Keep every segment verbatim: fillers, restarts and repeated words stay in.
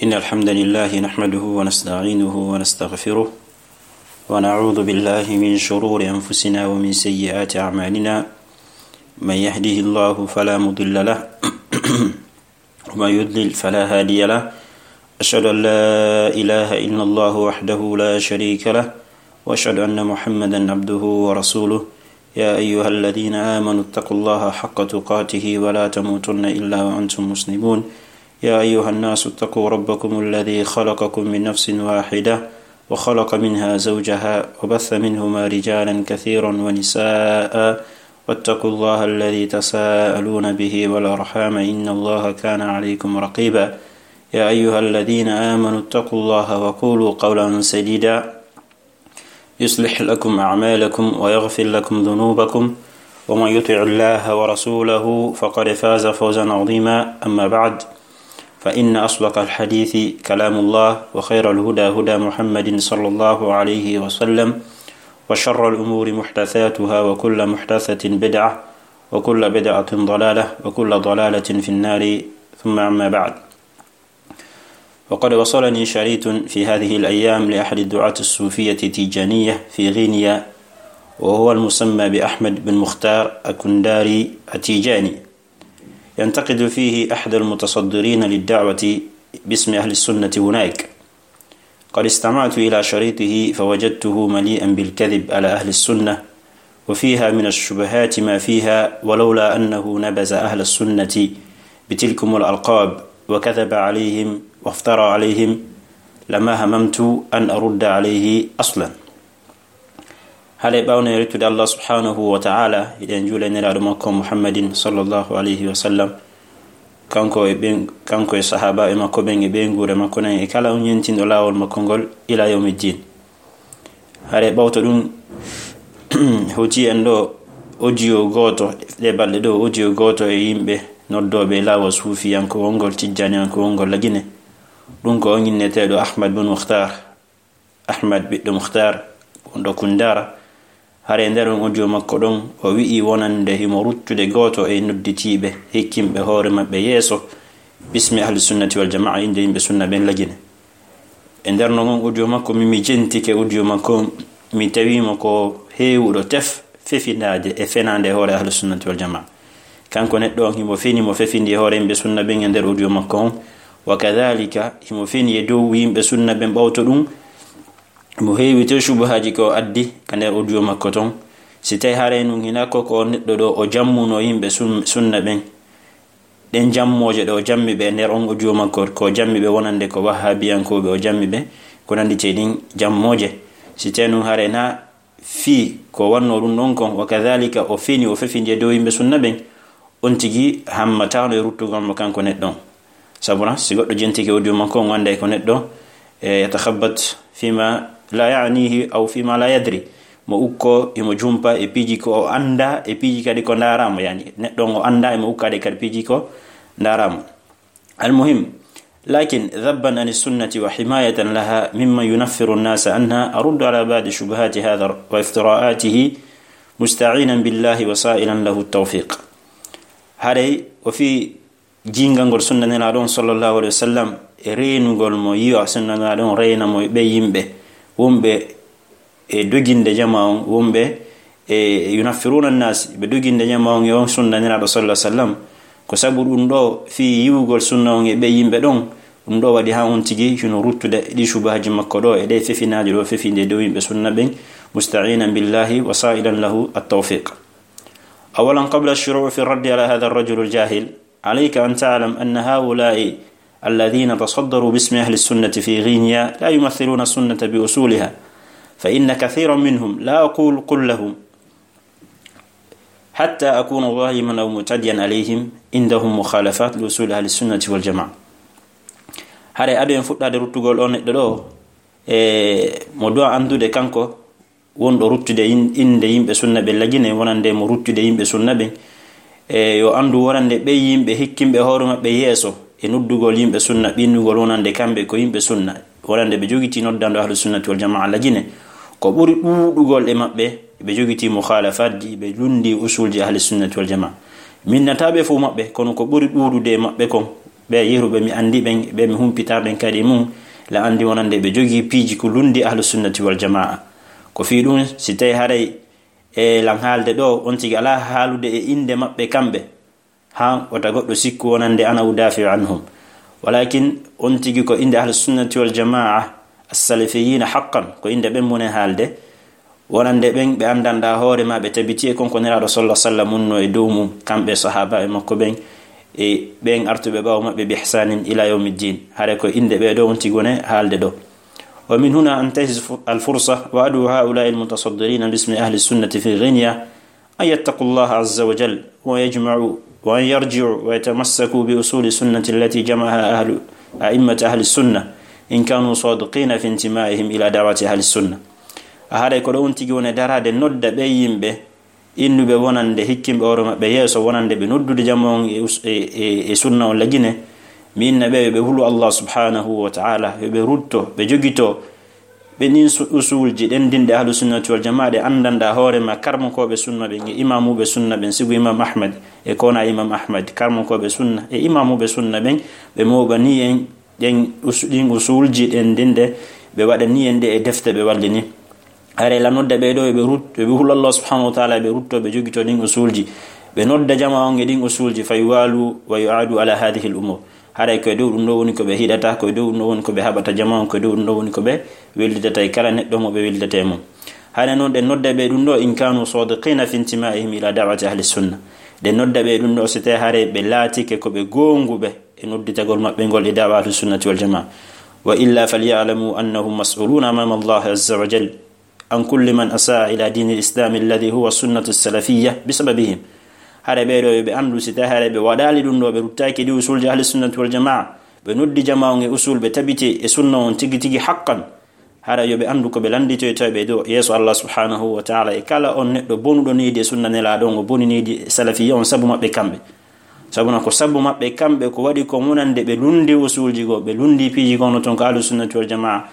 إن الحمد لله نحمده ونستعينه ونستغفره، ونعوذ بالله من شرور أنفسنا ومن سيئات أعمالنا. من يهده الله فلا مضل له، ومن يضلل فلا هادي له. أشهد أن لا إله إلا الله وحده لا شريك له، وأشهد أن محمدا عبده ورسوله. يا أيها الذين آمنوا اتقوا الله حق تقاته ولا تموتن إلا وأنتم مسلمون. يا أيها الناس اتقوا ربكم الذي خلقكم من نفس واحدة وخلق منها زوجها وبث منهما رجالا كثيرا ونساء واتقوا الله الذي تساءلون به والأرحام إن الله كان عليكم رقيبا. يا أيها الذين آمنوا اتقوا الله وقولوا قولا سديدا يصلح لكم أعمالكم ويغفر لكم ذنوبكم ومن يطع الله ورسوله فقد فاز فوزا عظيما. أما بعد، فإن أصدق الحديث كلام الله وخير الهدى هدى محمد صلى الله عليه وسلم وشر الأمور محدثاتها وكل محدثة بدعة وكل بدعة ضلالة وكل ضلالة في النار. ثم أما بعد، وقد وصلني شريط في هذه الأيام لأحد الدعاة الصوفية التيجانية في غينيا، وهو المسمى بأحمد بن مختار الكنداري التيجاني، ينتقد فيه أحد المتصدرين للدعوة باسم أهل السنة هناك. قد استمعت إلى شريطه فوجدته مليئا بالكذب على أهل السنة، وفيها من الشبهات ما فيها، ولولا أنه نبذ أهل السنة بتلكم الألقاب وكذب عليهم وافترى عليهم لما هممت أن أرد عليه أصلا. Hade ɓawne rittude Allah subhanahu wa ta'ala, hiɗen juula e Nelaaɗo makko Muhammadin sallallahu alayhi wa sallam, kanko e ɓen, kanko e sahaabaaɓe makko ɓen e ɓeynguure makko nen e kala on yentinɗo laawol makko ngol ila yawmi ddin. Hade ɓawto ɗum, hewti en ɗo audio gooto, ɗe balɗe ɗo audio gooto e yimɓe noddooɓe laawol suufiyankowol ngol, tijjaniyankowol ngol Lagine. Ɗum ko on inneteeɗo Ahmad bin Mukhtar, Ahmad ɓiɗɗo Mukhtar, wonɗo Kundara. Hare nder on audio makko ɗon, o wi'i wonande himo ruttude gooto e nodditiiɓe, hikkinɓe hoore maɓɓe yeeso, bismi ahli sunnati wal jamaa, innde yimɓe sunna ɓen Lagine. E nder non on audio makko, mi, mi jentike audio makko on, mi tawi mo ko heewuɗo tef, fefindaaje e fenaande e hoore ahli sunnati wal jamaa. Kanko neɗɗo on, himo feni mo fefindi e hoore yimɓe sunna ɓen e nder audio makko on. Wa kadhalika, himo feni e dow yimɓe sunna ɓen ɓawto ɗum, mo heewi to shubuhaaji ko addi ka nder audio makko ton. Si tawi haray nun hina ko, ko on neɗɗo ɗo o jammuno yimɓe sun-, sunna ɓen. Ɗen jammooje ɗo o jammi ɓe nder on audio makko, ko jammi ɓe wonande ko wahhabiyankooɓe, o jammi ɓe ko nanditi e ɗin jammooje. Si tawi nun haray na fii ko wanno ɗum ɗon kon, wa kadhalika o feni, o fefindi e dow yimɓe sunna ɓen, on tigi hammataano e ruttugol mo kanko neɗɗo on. Sabu na, si goɗɗo jentike audio makko on, wonday ko neɗɗo, e, yatakhabbat fima la ya'nihi aw fima la yadri. Mo ukko, himo jumpa e piiji ko o annda, e piiji kadi ko ndaara mo, yani, neɗɗo on o annda, himo ukkaade kadi piiji ko ndaara mo. Almuhim, lakin dhabban ani sunnati wa himayatan laha mimman yunaffiru nnasa anha, aruddu ala ba'di shubuhati hadha wa iftira'atihi musta'inan billahi wa sa'ilan lahu tawfiq. Haray o fii jiingangol sunna Nelaaɗo on sallallahu alayhi wa sallam, e reenugol mo, yi'a sunna Nelaaɗo on, reena mo e ɓe yimɓe wonɓe e doginde jama on, wonɓe e yunaffiruna nnas, ɓe doginde jama on e on sunna Nelaaɗo sallallahu alayhi wa sallam. Ko sabu ɗum ɗo fii yi'ugol sunna on e ɓe yimɓe ɗon, ɗum ɗo waɗi haa on tigi hino ruttude ɗi shubhaaji makko ɗo e ɗe fefinaaji ɗo fefinde dow yimɓe sunna ɓen, musta'inan billahi wa sa'ilan lahu at-tawfiq. Awalan, qabla ash-shuru'i fi ar-raddi ala hadha ar-rajul al-jahil, alayka an ta'lam anna ha'ula'i alladhina tasaddaru bismi ahli as-sunnati fi Ghinya la yumaththiluna as-sunnata bi usuliha, fa inna kathiran minhum, la aqulu kullahum, hatta akuna zaliman aw mu'tadiyan alayhim, indahum mukhalafat li usuli ahli as-sunnati wal jamaa. Hare ado en fuɗɗaade ruttugol on neɗɗo ɗo, e mo du'a anndude kanko wonɗo ruttude in-, innde yimɓe sunna ɓe Lagine, wonande mo ruttude yimɓe sunna ɓen. E yo anndu wonande ɓe yimɓe hikkinɓe hoore maɓɓe yeeso e noddugol yimɓe sunna, ɓinnugol wonande kamɓe ko yimɓe sunna, wonande ɓe jogitii noddando ahlu sunnati wal jamaa Lagine. Ko ɓuri ɗuuɗugol e maɓɓe, ɓe jogitii mukhalafaaji, ɓe lunndii usulji ahli sunnati wal jamaa. Minnataaɓe fof maɓɓe, kono ko ɓuri ɗuuɗude e maɓɓe kon, ɓe yeruɓe mi anndi ɓen, ɓe mi humpitaa ɓen kadi mum, la anndi wonande ɓe jogii piiji ko lunndi Ahlu Sunnati wal Jamaa. Ko fii ɗum, si tawi haray e lan haalde ɗo, on tigi alaa haalude e innde maɓɓe kamɓe, haa wota goɗɗo sikku wonande ana udaafi'u anhum. Walakin on tigi ko innde Ahlu Sunnati wal Jamaa, as-Salafiyyiina haqqan, ko innde ɓen mune haalde, wonande ɓen ɓe anndanɗaa hoore maa, ɓe tabiti e kon ko Nelaaɗo sallallahu alaihi wasallam wonno e dow mum, kamɓe sahaabaaɓe makko ɓen, e ɓen artuɓe ɓaawo maɓɓe bi ihsanin ila yawmiddin. Hare ko innde ɓee ɗo on tigi wone haalde ɗo. ومن هنا أنتهز ف-، الفرصة وأدعو هؤلاء المتصدرين باسم أهل السنة في غينيا أن يتقوا الله عز وجل ويجمعوا، وأن يرجعوا ويتمسكوا بأصول السنة التي جمعها أهل، أئمة أهل السنة، إن كانوا صادقين في انتمائهم إلى دعوة أهل السنة. A haray ko ɗo on tigi woni daraade nodda ɓe yimɓe innuɓe wonande hikkinɓe hoore maɓɓe yeeso, wonande ɓe noddude jama on e us-, e, e, e sunna on lagine, mi inna ɓe yo ɓe hulu Allah subhanahu wa ta'ala, yo ɓe rutto, ɓe jogito ɓe ɗin su-, usulji ɗenɗinɗe Ahlu Sunnati wal Jamaa ɗe anndanɗaa hoore ma karmokooɓe sunna ɓen e imaamuuɓe sunna ɓen, sibu Imam Ahmad e kona Imam Ahmad, karmokooɓe sunna e imaamuuɓe sunna ɓen, ɓe mooɓanii en ɗen us-, ɗin usulji ɗenɗinɗe, ɓe waɗanii en ɗe e defte ɓe wallini. Haray la nodda ɓee ɗo, yo ɓe rut-, yo ɓe hulu Allah subhanahu wa ta'ala, yo ɓe rutto, ɓe jogito ɗin usulji, ɓe nodda jama on e ɗin usulji, فيوالوا ويعادوا على هذه الأمور. Haray ko e dow ɗum ɗo woni ko ɓe hiɗata, ko e dow ɗum ɗo woni ko ɓe haɓata jama on, ko e dow ɗum ɗo woni ko ɓe wellidata e kala neɗɗo mo ɓe wellidata e mum. Haray non ɗen nodda ɓe ɗum ɗo, إن كانوا صادقين في انتمائهم إلى دعوة أهل السنة. Ɗen nodda ɓe ɗum ɗo, si tawi haray ɓe laatike ko ɓe goonguɓe e nodditagol maɓɓe ngol e da'wa Ahlu Sunnati wal Jamaa. وإلا فليعلموا أنهم مسؤولون أمام الله عز وجل عن كل من أساء إلى دين الإسلام الذي هو السنة السلفية بسببهم. Haray ɓee ɗo yo ɓe anndu, si tawi haray ɓe waɗaali ɗum ɗo, ɓe ruttaaki ɗi usulji Ahli Sunnati wal Jamaa, ɓe noddi jama on e usul, ɓe tabiti e sunna on tigi tigi haqqan, haray yo ɓe anndu ko ɓe lannditoytoo ɓe ɗo yeeso Allah subhanahu wa ta'ala e kala on neɗɗo bonuɗo niidi e sunna Nelaaɗo on, o boni niidi e salafiyya on sabu maɓɓe kamɓe. Sabuna ko sabu maɓɓe kamɓe ko waɗi ko wonande ɓe lunndi usulji goo, ɓe lunndi piiji goo no ton ko Ahlu Sunnati wal Jamaa.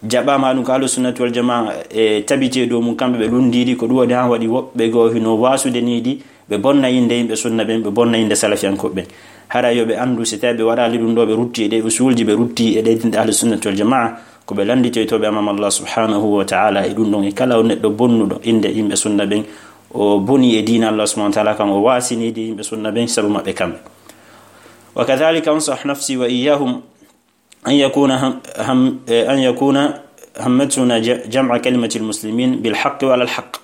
Jaɓaama ɗum ko Ahlu Sunnati wal Jamaa e tabiti e dow mum kamɓe ɓe lunndiiɗi, ko ɗum waɗi haa waɗi woɓɓe goo hino waasude niidi, ɓe bonna innde yimɓe sunna ɓen, ɓe bonna innde salafiyankooɓe ɓen. Hara yo ɓe anndu, si tawi ɓe waɗaali ɗum ɗo, ɓe rutti e ɗe usulji, ɓe rutti e ɗe dinɗe Ahlu Sunnati wal Jamaa, ko ɓe lannditoytooɓe amama Allah subhanahu wa ta'ala e ɗum ɗon, e kala on neɗɗo bonnuɗo innde yimɓe sunna ɓen, o boni e diina Allah subhanahu wa ta'ala kan, o waasi niidi yimɓe sunna ɓen sabu maɓɓe kamɓe. وكذلك أنصح نفسي وإياهم أن يكون هم، هم، أن يكون همتنا ج-، جمع كلمة المسلمين بالحق وعلى الحق.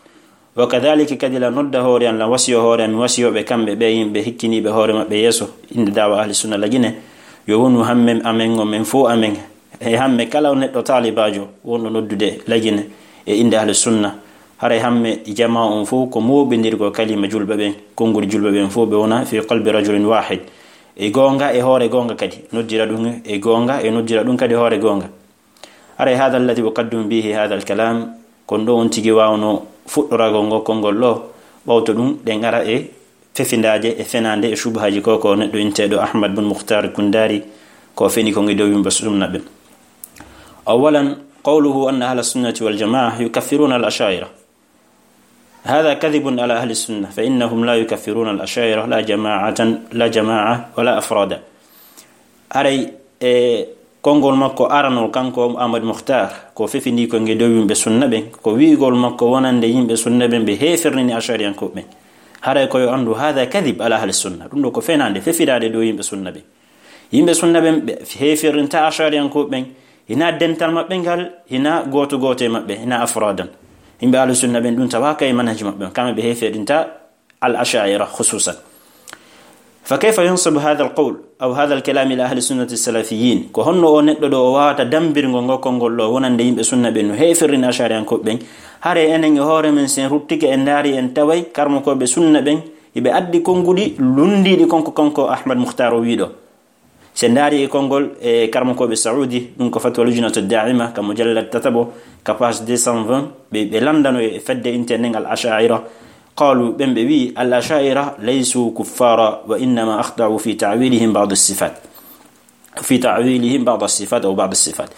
وكذلك kadi la nodda hoore an, la wasiyo hoore an, wasiyoɓe kamɓe ɓe yimɓe hikkiniiɓe hoore maɓɓe yeeso innde da'wa Ahli Sunna Lagine, yo wonu hamme amen on men fow amen, e hamme kala neɗɗo taalibaajo wonɗo noddude Lagine e innde Ahli Sunna. Haray hamme jamaa on fow ko mooɓindirgol kalima julɓe ɓen, konngol julɓe ɓen fow ɓe wona في قلب رجل واحد. E goonga, e hoore goonga kadi. Noddira ɗum e goonga, e noddira ɗum kadi hoore goonga. Haray هذا الذي أقدم به هذا الكلام, kon ɗo on tigi waawno fuɗɗoragol ngol konngol ɗo, ɓawto ɗum ɗen ara e fefindaaje e fenaande e shubuhaaji ko, ko neɗɗo inteeɗo Ahmad bun Mukhtar Kundari, ko feni ko ngi dow yimɓe sunna ɓen. أولا، قوله أن أهل السنة والجماعة يكفرون الأشاعرة. هذا كذب على أهل السنة، فإنهم لا يكفرون الأشاعرة، لا جماعة، لا جماعة، ولا أفرادا. Haray e konngol makko aranol, kanko Ahmad Mukhtar, ko fefindii ko nge dow yimɓe sunna ɓen, ko wi'ugol makko wonande yimɓe sunna ɓen ɓe heeferini Ash'ariyankooɓe ɓen. Haray ko yo anndu, هذا كذب على أهل السنة. Ɗum ɗo ko fenaande, fefiraade dow yimɓe sunna ɓen. Yimɓe sunna ɓen, ɓe heefirinta Ash'ariyankooɓe ɓen, hinaa dental maɓɓe ngal, hinaa gooto gooto e maɓɓe, hinaa afraadan. Yimɓe Ahlu Sunna ɓen, ɗum tawaaka e manhaji maɓɓe on, kamɓe ɓe heefirinta al Ash'ira khususan. فكيف ينسب هذا القول أو هذا الكلام إلى أهل السنة السلفيين؟ Ko honno o neɗɗo ɗo o waawata dambirgol ngol konngol ɗo wonande yimɓe sunna ɓen no heefirini Ash'ariyankooɓe ɓen? Haray enen e hoore men, si en ruttike en ndaari, en taway karmokooɓe sunna ɓen, hiɓe addi konnguɗi lunndiiɗi kon ko kanko Ahmad Mukhtar o wi'i ɗo. Si en ndaari e konngol e karmokooɓe Saudi, ɗum ko Fatwa Lujnatu Da'ima, ka mujallad tataɓo, ka page deux cent vingt, ɓe, ɓe lanndano e fedde intee nden al Ash'ira. قالوا, ɓen ɓe wi'i, الأشاعرة ليسوا كفارا، وإنما أخطأوا في تأويلهم بعض الصفات. في تأويلهم بعض الصفات أو بعض الصفات.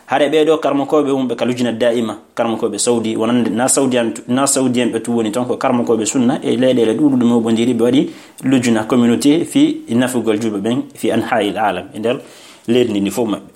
Hare ɓee ɗo karmakooɓe wonɓe ka lujna daa'ima, karmakooɓe Saudi, wonande na Saudi en, na Saudi en ɓe tu woni ton, ko karmakooɓe sunna e leyɗeele ɗuuɗuɗe mo ɓondiri, ɓe waɗi lujna communauté fi nafugol julɓe ɓen fi anha'il alam, e nder leydi ndi fof maɓɓe.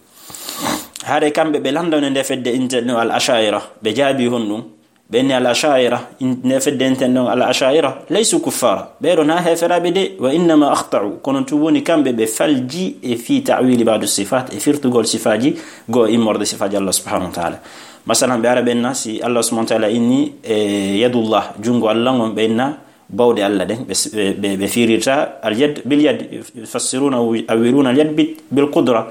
Hare kamɓe ɓe landano nde fedde intel no al ashaira, ɓe jaabi honɗum? Ɓe inni al ashaira, in-, nde fedde intel ɗon al ashaira, laysu kuffara. Ɓee ɗo na heferaaɓe de, wa innama akhta'u, kono tu woni kamɓe ɓe falji e fi ta'wili ba'du sifat, e firtugol sifaaji goo immorde sifaaji Allah subhanahu wa ta'ala. Masalan, ɓe ara ɓe inna, si Allah subhanahu wa ta'ala inni, e, yadullah, jungo Allah ngon, ɓe inna bawɗe Allah ɗen, ɓe, ɓe, ɓe firirta al yad bil yad, yufassiruna, awwiluna al yad bil, bil qudra,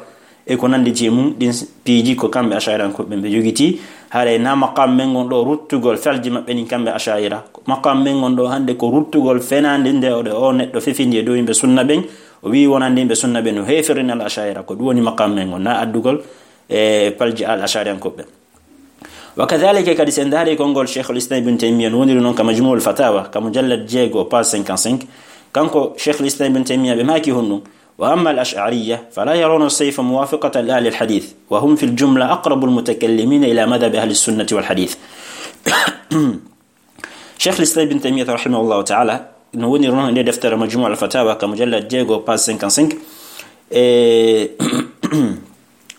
e ko nandi je mum, ɗin piiji ko kamɓe ashairankoɓe ɓe jogiti. Haray na maqam men ngon ɗo ruttugol falji maɓɓe ɗin kamɓe ashaira. Maqam men ngon ɗo hande ko ruttugol fenande nde o, o neɗɗo fefindi e dow yimɓe sunna ɓen, o wi wonande yimɓe sunna ɓen no heferina al ashaira, ko ɗum woni maqam men ngon, na addugol e falji al ashairankoɓe. Wa kadhalika, kadi sen daari konngol Cheikhul Islam Ibn Taymiyyah, no woniri noon ka Majmu'ul Fatawa, ka mujallad jeego, page cinquante-cinq, kanko Cheikhul Islam Ibn Taymiyyah ɓe maaki honɗum, wa amma al ash'ariyya fala yarawna as-sayfa muwafiqatan li ahli al hadith, wa hum fil jumla aqrabu al mutakallimina ila madhhabi ahli as-sunnati wal hadith. Cheikhul Islam Ibn Taymiyyah rahimahullahu ta'ala no woniri noon e nde deftere Majmu'ul Fatawa ka mujallad jeego, page cinquante-cinq, e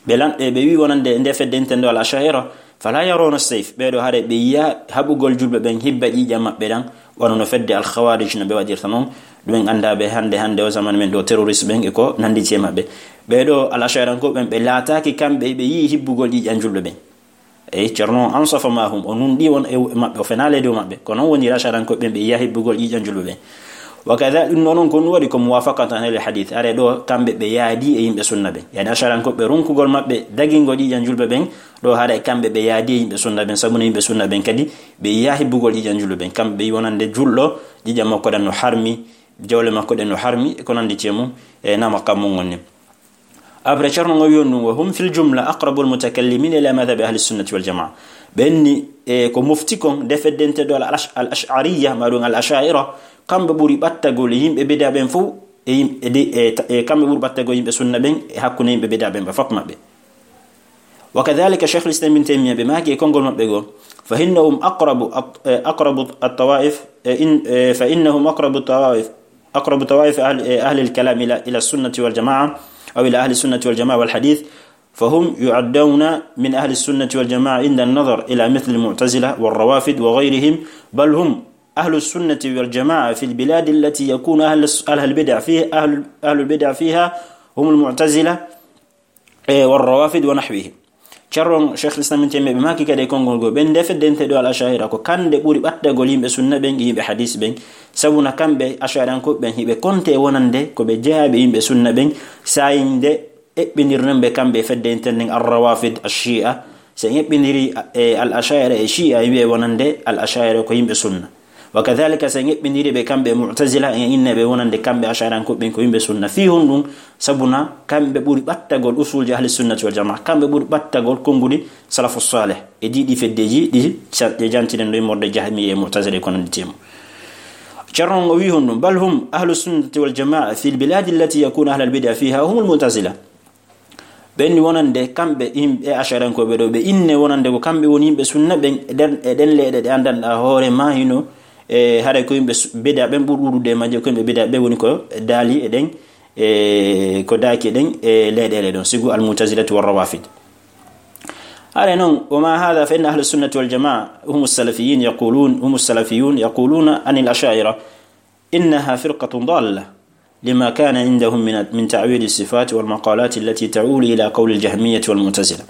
ɓe lan-, e ɓe wi wonande nde fedde intendo al ashaira, fala yarawna as-sayf, ɓee ɗo hare ɓe yiya haɓugol julɓe ɓen hibba ƴiiƴam maɓɓe ɗan, wano no fedde al khawarij no ɓe waɗirta noon. Ɗum en annda ɓe hannde, hannde o zaman men ɗo, terroriste ɓen e ko nandi e maɓɓe. Ɓee ɗo al ashairankoɓe ɓen, ɓe laataaki kamɓe ɓe yi'i hibbugol ƴiiƴam julɓe ɓen. Eyi, Ceerno on ansafa ma hum, o nunɗi won e maɓɓe, o fenaali e dow maɓɓe. Ko noon woni Ash'ariyankoɓe ɓen, ɓe yiya hibbugol ƴiiƴam julɓe ɓen. Wa kadha, ɗum ɗoo noon ko ɗum waɗi ko muwafaqatan lil hadith. Are ɗo, kamɓe ɓe yaadi e yimɓe sunna ɓen. Yani Ash'ariyankoɓe ɓe ronkugol maɓɓe dagingol ƴiiƴam julɓe ɓen, ɗo haray kamɓe ɓe yaadi e yimɓe sunna ɓen, sabu no yimɓe sunna ɓen kadi ɓe yiya hibbugol ƴiiƴam julɓe ɓen. Kamɓe ɓe yi wonande julɗo, ƴiiƴam makko ɗan no harmi, jawle makko ɗen no harmi, e ko nandi e mum, e nama kammu ngon ni. Après, Ceerno ngo wiyon ɗum, wa hum fil jumla aqrabul mutakallimina ila madhhabi ahli sunnati wal jamaa. Ɓen ni, e, ko mofti kon, nde feddente ɗo al ash-, al ash'ariyya, ma ɗum al asha'ira, kamɓe ɓuri ɓattagol e yimɓe bida ɓen fof, e yim-, e de-, e ta-, e kamɓe ɓuri ɓattagol yimɓe sunna ɓen, e hakkunde yimɓe bida ɓen ɓe fof maɓɓe. Wa kadhalika Shaykhul Islam Ibn Taymiyyah ɓe maaki e konngol maɓɓe goo, fa innahum aqrabu at-, e, aqrabu at-tawaif, e, in, e, fa innahum aqrabu at-tawaif, أقرب طوائف أهل، أهل الكلام إلى، إلى السنة والجماعة، أو إلى أهل السنة والجماعة والحديث، فهم يعدون من أهل السنة والجماعة عند النظر إلى مثل المعتزلة والروافض وغيرهم، بل هم أهل السنة والجماعة في البلاد التي يكون أهل الس-، أهل البدع فيه، أهل، أهل البدع فيها هم المعتزلة، e, war rawafid wa nahwihim. Ceerno Shaykhul Islam Ibn Taymiyyah ɓe maaki kadi e konngol goo, ɓen nde feddente ɗo al asha'ira, ko kamɓe ɓuri ɓattagol yimɓe sunna ɓen e yimɓe hadis ɓen, sabu na kamɓe asha'irankooɓe ɓen hiɓe konte wonande ko ɓe jeyaaɓe yimɓe sunna ɓen, saayinde eɓɓindirnon ɓe kamɓe e feddente nden ar rawafid, ash shi'a. Si en eɓɓindiri, e, al asha'ira e shi'a, e wi'e wonande al asha'ira ko yimɓe sunna. Wa kadhalika, si en eɓɓindiri ɓe kamɓe e mu'tazila, en inne ɓe wonande kamɓe asha'irankooɓe ɓen ko yimɓe sunna. Fii honɗum? Sabu na kamɓe ɓuri ɓattagol usulji ahli sunnati wal jamaa, kamɓe ɓuri ɓattagol konnguɗi salafu salih. E ɗii, ɗii feddeeji ɗi ca-, ɗe jantinen ɗo immorde jahmiya e mu'tazila e ko nandi e mum. Ceerno o wi'i honɗum, bal hum ahlu sunnati wal jamaa fil biladi allati yakunu ahlal bid'a fiha humul mu'tazila. Ɓen ni wonande kamɓe yimɓe asha'irankooɓe ɗo, ɓe inne wonande ko kamɓe woni yimɓe sunna ɓen e ɗen, e ɗen leyɗe ɗe anndanɗaa hoore maa hino, e, haray ko yimɓe su-, bida ɓen ɓuri ɗuuɗude e majje, ko yimɓe bida ɓe woni ko daali e ɗen, e, ko daaki e ɗen, e, leyɗeele ɗon, sibu al mu'tazilatu war rawafid. Haray non, wa ma hadha fa inna ahlu sunnati wal jamaa hum salafiyyin yaqulun, hum salafiyun yaquluna anil asha'ira, إنها فرقة ضالة لما كان عندهم من، من تأويل الصفات والمقالات التي تؤول إلى قول الجهمية والمعتزلة.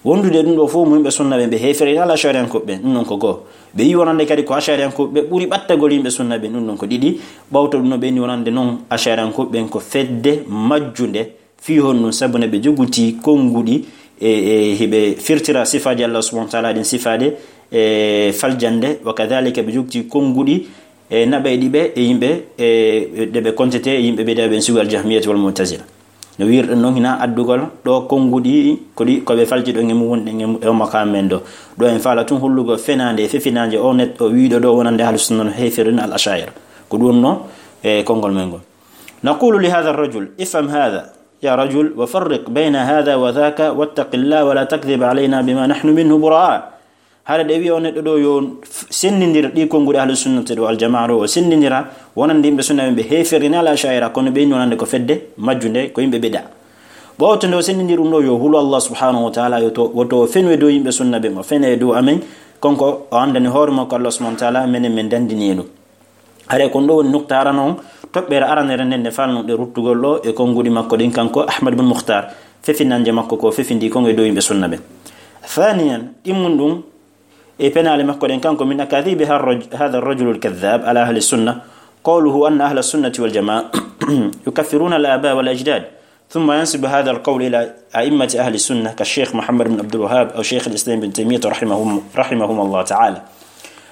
Wondude ɗum ɗo fof, mo yimɓe sunna ɓen, ɓe heeferino al ashariyankooɓe ɓen, ɗum ɗon ko goo. Ɓe yi wonande kadi ko ashariyankooɓe ɓe ɓuri ɓattagol yimɓe sunna ɓen, ɗum ɗon ko ɗiɗi. Ɓawto ɗum no ɓe ni wonande noon ashariyankooɓe ɓen ko fedde majjunde. Fii honɗum? Sabu ne ɓe joguti konnguɗi e, e hiɓe firtira sifaaji Allah subhanahu wa ta'ala ɗin sifaade e faljande, wa kadhalika ɓe joguti konnguɗi e naɓayɗi ɓe e yimɓe e ɗe ɓe kontete e yimɓe bida ɓen sibu al jahmiyati wal mu'tazila. No wiirɗen noon hina addugol ɗo konnguɗi ko ɗi, ko ɓe falji ɗon e mum wonɗen e mu-, e o maqaam men ɗo. Ɗo en faala tun hollugol fenaande e fefinaande o neɗɗo wiiɗo ɗo wonande ahlu sunna no heeferino al asha'ira. Ko ɗum no e konngol men ngol. نقول لهذا الرجل: افهم هذا، يا رجل، وفرق بين هذا وذاك، واتق الله ولا تكذب علينا بما نحن منه براء. Hara ɗe wiya o neɗɗo ɗo yo f-, senndindir ɗi konnguɗi ahlu sunnati ɗo aljamaa ɗo, o senndindira wonande yimɓe sunna ɓen ɓe heeferini al asha'ira, kono ɓe inni wonande ko fedde majjunde, ko yimɓe bida. Ɓawto nde o senndindir ɗum ɗo, yo hulu Allah subhanahu wa ta'ala, yo to, woto o fenu e dow yimɓe sunna ɓen, o fena e dow amen, kanko o anndani hoore makko Allah subhanahu wa ta'ala, menen men dandini e ɗum. Haray kon ɗo woni nukta arano on, toɓɓere aranere nden nde falnuɗe ruttugol ɗo e konnguɗi makko ɗin, kanko Ahmad bin Mukhtar, fefinanje makko ko fefindi kon e dow yimɓe sunna ɓen. Thaniyan, ɗimmun ɗum e penaale makko ɗen, kanko من أكاذيب هذا الرجل الكذاب على أهل السنة قوله أن أهل السنة والجماعة يكفرون الآباء والأجداد، ثم ينسب هذا القول إلى أئمة أهل السنة كالشيخ محمد بن عبد الوهاب أو شيخ الإسلام ابن تيمية رحمهم، رحمهم الله تعالى.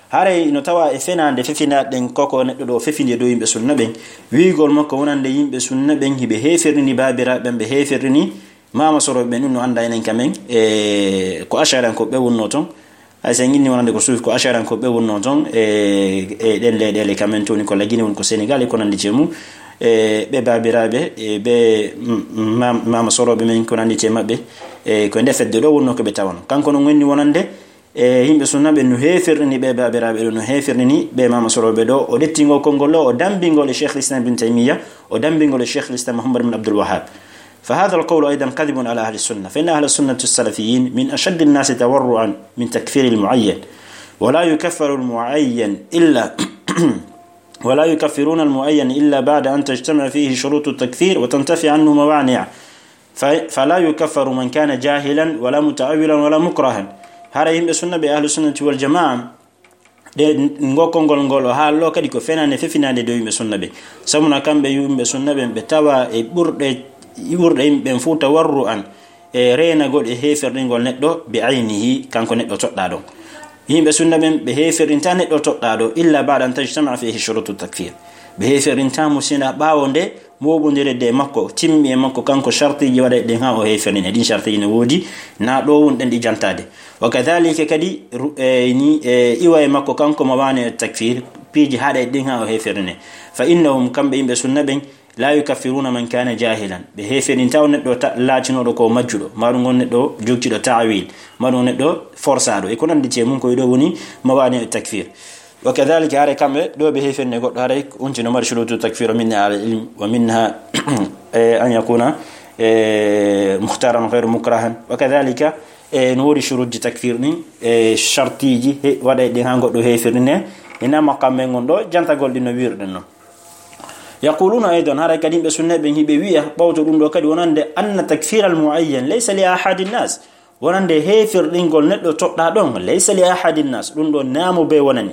Haray no tawa e fenaande fefinaaɗe ɗen koko neɗɗo ɗo fefinde dow yimɓe sunna ɓen, wiigol makko wonande yimɓe sunna ɓen hiɓe heeferini baabiraaɓe ɓen, ɓe heeferini maama sorooɓe ɓen, ɗum no annda enen kamen, e ko ash'ariyankoɓe wonnoo ton. Hay so en inni wonande ko suufi, ko ash'ariyankoɓe wonnoo ton, e, e ɗen leyɗeele kamen toni ko Lagine, woni ko Senegal e ko nanndi e mum, e ɓe baabiraaɓe, e ɓe m-, ma-, maama sorooɓe men ko nanndi e maɓɓe, e ko nde fedde ɗo wonnoo ko ɓe tawano. Kanko non wenni wonande, e yimɓe sunna ɓe no heeferini ɓe baabiraaɓe ɗo, no heeferini ɓe maama sorooɓe ɗo. O ɗetti ngol konngol ɗo, o dambi ngol e Cheikh l'Islam Ibn Taymiyya, o dambi ngol e Cheikh l'Islam Muhammad bin Abdul Wahhab. فهذا القول أيضا كذب على أهل السنة، فإن أهل السنة السلفيين من أشد الناس تورعا من تكفير المعين، ولا يكفر المعين إلا ولا يكفرون المعين إلا بعد أن تجتمع فيه شروط التكفير وتنتفي عنه موانع، ف-، فلا يكفر من كان جاهلا ولا متأولا ولا مكرها. Hara yimɓe sunna ɓe ahlu sunnati wal jamaa, ɗe ngol konngol ngol o haallo kadi ko fenaande fefinaande dow yimɓe sunna ɓe. Sabu na kamɓe yimɓe sunna ɓen ɓe tawa e ɓurɗe, ɓurɗe yimɓe ɓen fof tawarru an e reenagol e heeferɗingol neɗɗo bi aynihi, kanko neɗɗo toɗɗaa ɗon. Yimɓe sunna ɓen ɓe heeferɗinta neɗɗo toɗɗaa ɗo illa ba'da an tajtama fihi shurutu takfir. Ɓe heeferɗinta mo sina ɓaawo nde mooɓondireede e makko, timmi e makko kanko, shartiiji waɗay ɗen haa o heeferɗine. Ɗin shartiiji ne woodi, na ɗo woni ɗen ɗi jantaade. Wa kadhalika kadi, ru-, e, ni, e, iwa e makko kanko mawani takfir, piiji haɗay ɗin haa o heeferɗine. Fa innahum, kamɓe yimɓe sunna ɓen, la yukaffiruna man kana jahilan. Ɓe heeferɗinta o neɗɗo ta-, laatinooɗo ko majjuɗo, maɗum on neɗɗo jogtiiɗo ta'wil, maɗum on neɗɗo forsaaɗo. E ko nanndi e mum, ko e ɗo woni mawani takfir. Wa kadhalika, hare kamɓe ɗo ɓe heeferni goɗɗo, hare on tino mari shurutu takfir, minha al ilm, wa minha, e, an yakuna, e, mukhtaran ghayru mukrahan. Wa kadhalika, e, no woodi shuruji takfir ɗin, e, shartiiji, he, waɗay ɗin haa goɗɗo heeferni ne, ina maqam men ngon ɗo, jantagol ɗin no wirɗen non. Yaquluna aydan, hare kadi ɓe sunna ɓen hiɓe wiya, ɓawto ɗum ɗo kadi wonande, anna takfir al muayyan laysa li ahadi nnas. Wonande heeferɗingol neɗɗo toɗɗaa ɗon, laysa li ahadi nnas, ɗum ɗo naamo be wonani.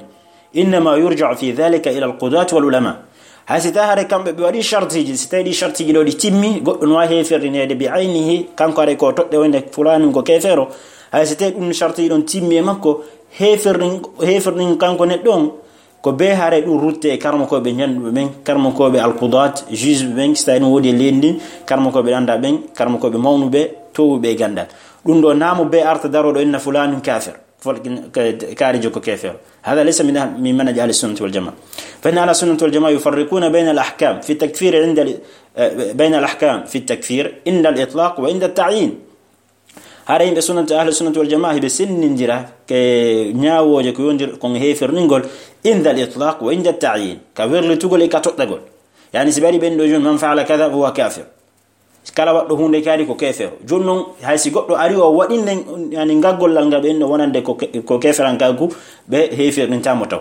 Innama yurja'u fi dhalika ila al-qudati wal ulama. Hay si tawi hare kamɓe ɓe waɗi shartiiji, si tawi ɗi shartiiji ɗo ɗi timmi, goɗɗo no waawi heeferɗineede bi aynihi, kanko hare ko toɗɗe wonde fulaani ko keefeero. Hay si tawi ɗum shartiiji ɗon timmi e makko, heeferɗin, heeferɗin kanko neɗɗo on, ko be hare ɗum rutte e karmokooɓe ñannduɓe ɓen, karmokooɓe al-qudat, juge ɓe ɓen, si tawi ɗum woodi e leydi ndin, karmokooɓe ɗannda ɓen, karmokooɓe mawnuɓe, towuɓe e ganndal. Ɗum ɗo naamo be arta daro ɗo inna fulaanun kafir. Fol-, ka-, kaarijo ko keefeero. Hada laysa min ah-, min manhaji ahli sunnati wal jamaa. Fa inna ahla sunnati wal jamaa yufarriquna bayna al ahkam fi takfir inda al, eh, bayna al ahkam fi takfir inda al itlaq wa inda al ta'yin. Hara yimɓe sunnati, ahli sunnati wal jamaa, hiɓe sennindira ke ñaawooje ko yondir kon heeferɗingol inda al itlaq wa inda al ta'yin. Ka werlitugol e ka toɗɗagol. Yani si ɓe ari ɓen ɗo jooni, man fa'ala kada fa huwa kafir. Kala waɗɗo huunde kaari ko keefeero. Jooni non, hay si goɗɗo ari o waɗi nden, yani, ngaggollal ngal ɓe inno wonande ko ke-, ko keeferankaaku, ɓe heeferɗinta mo taw.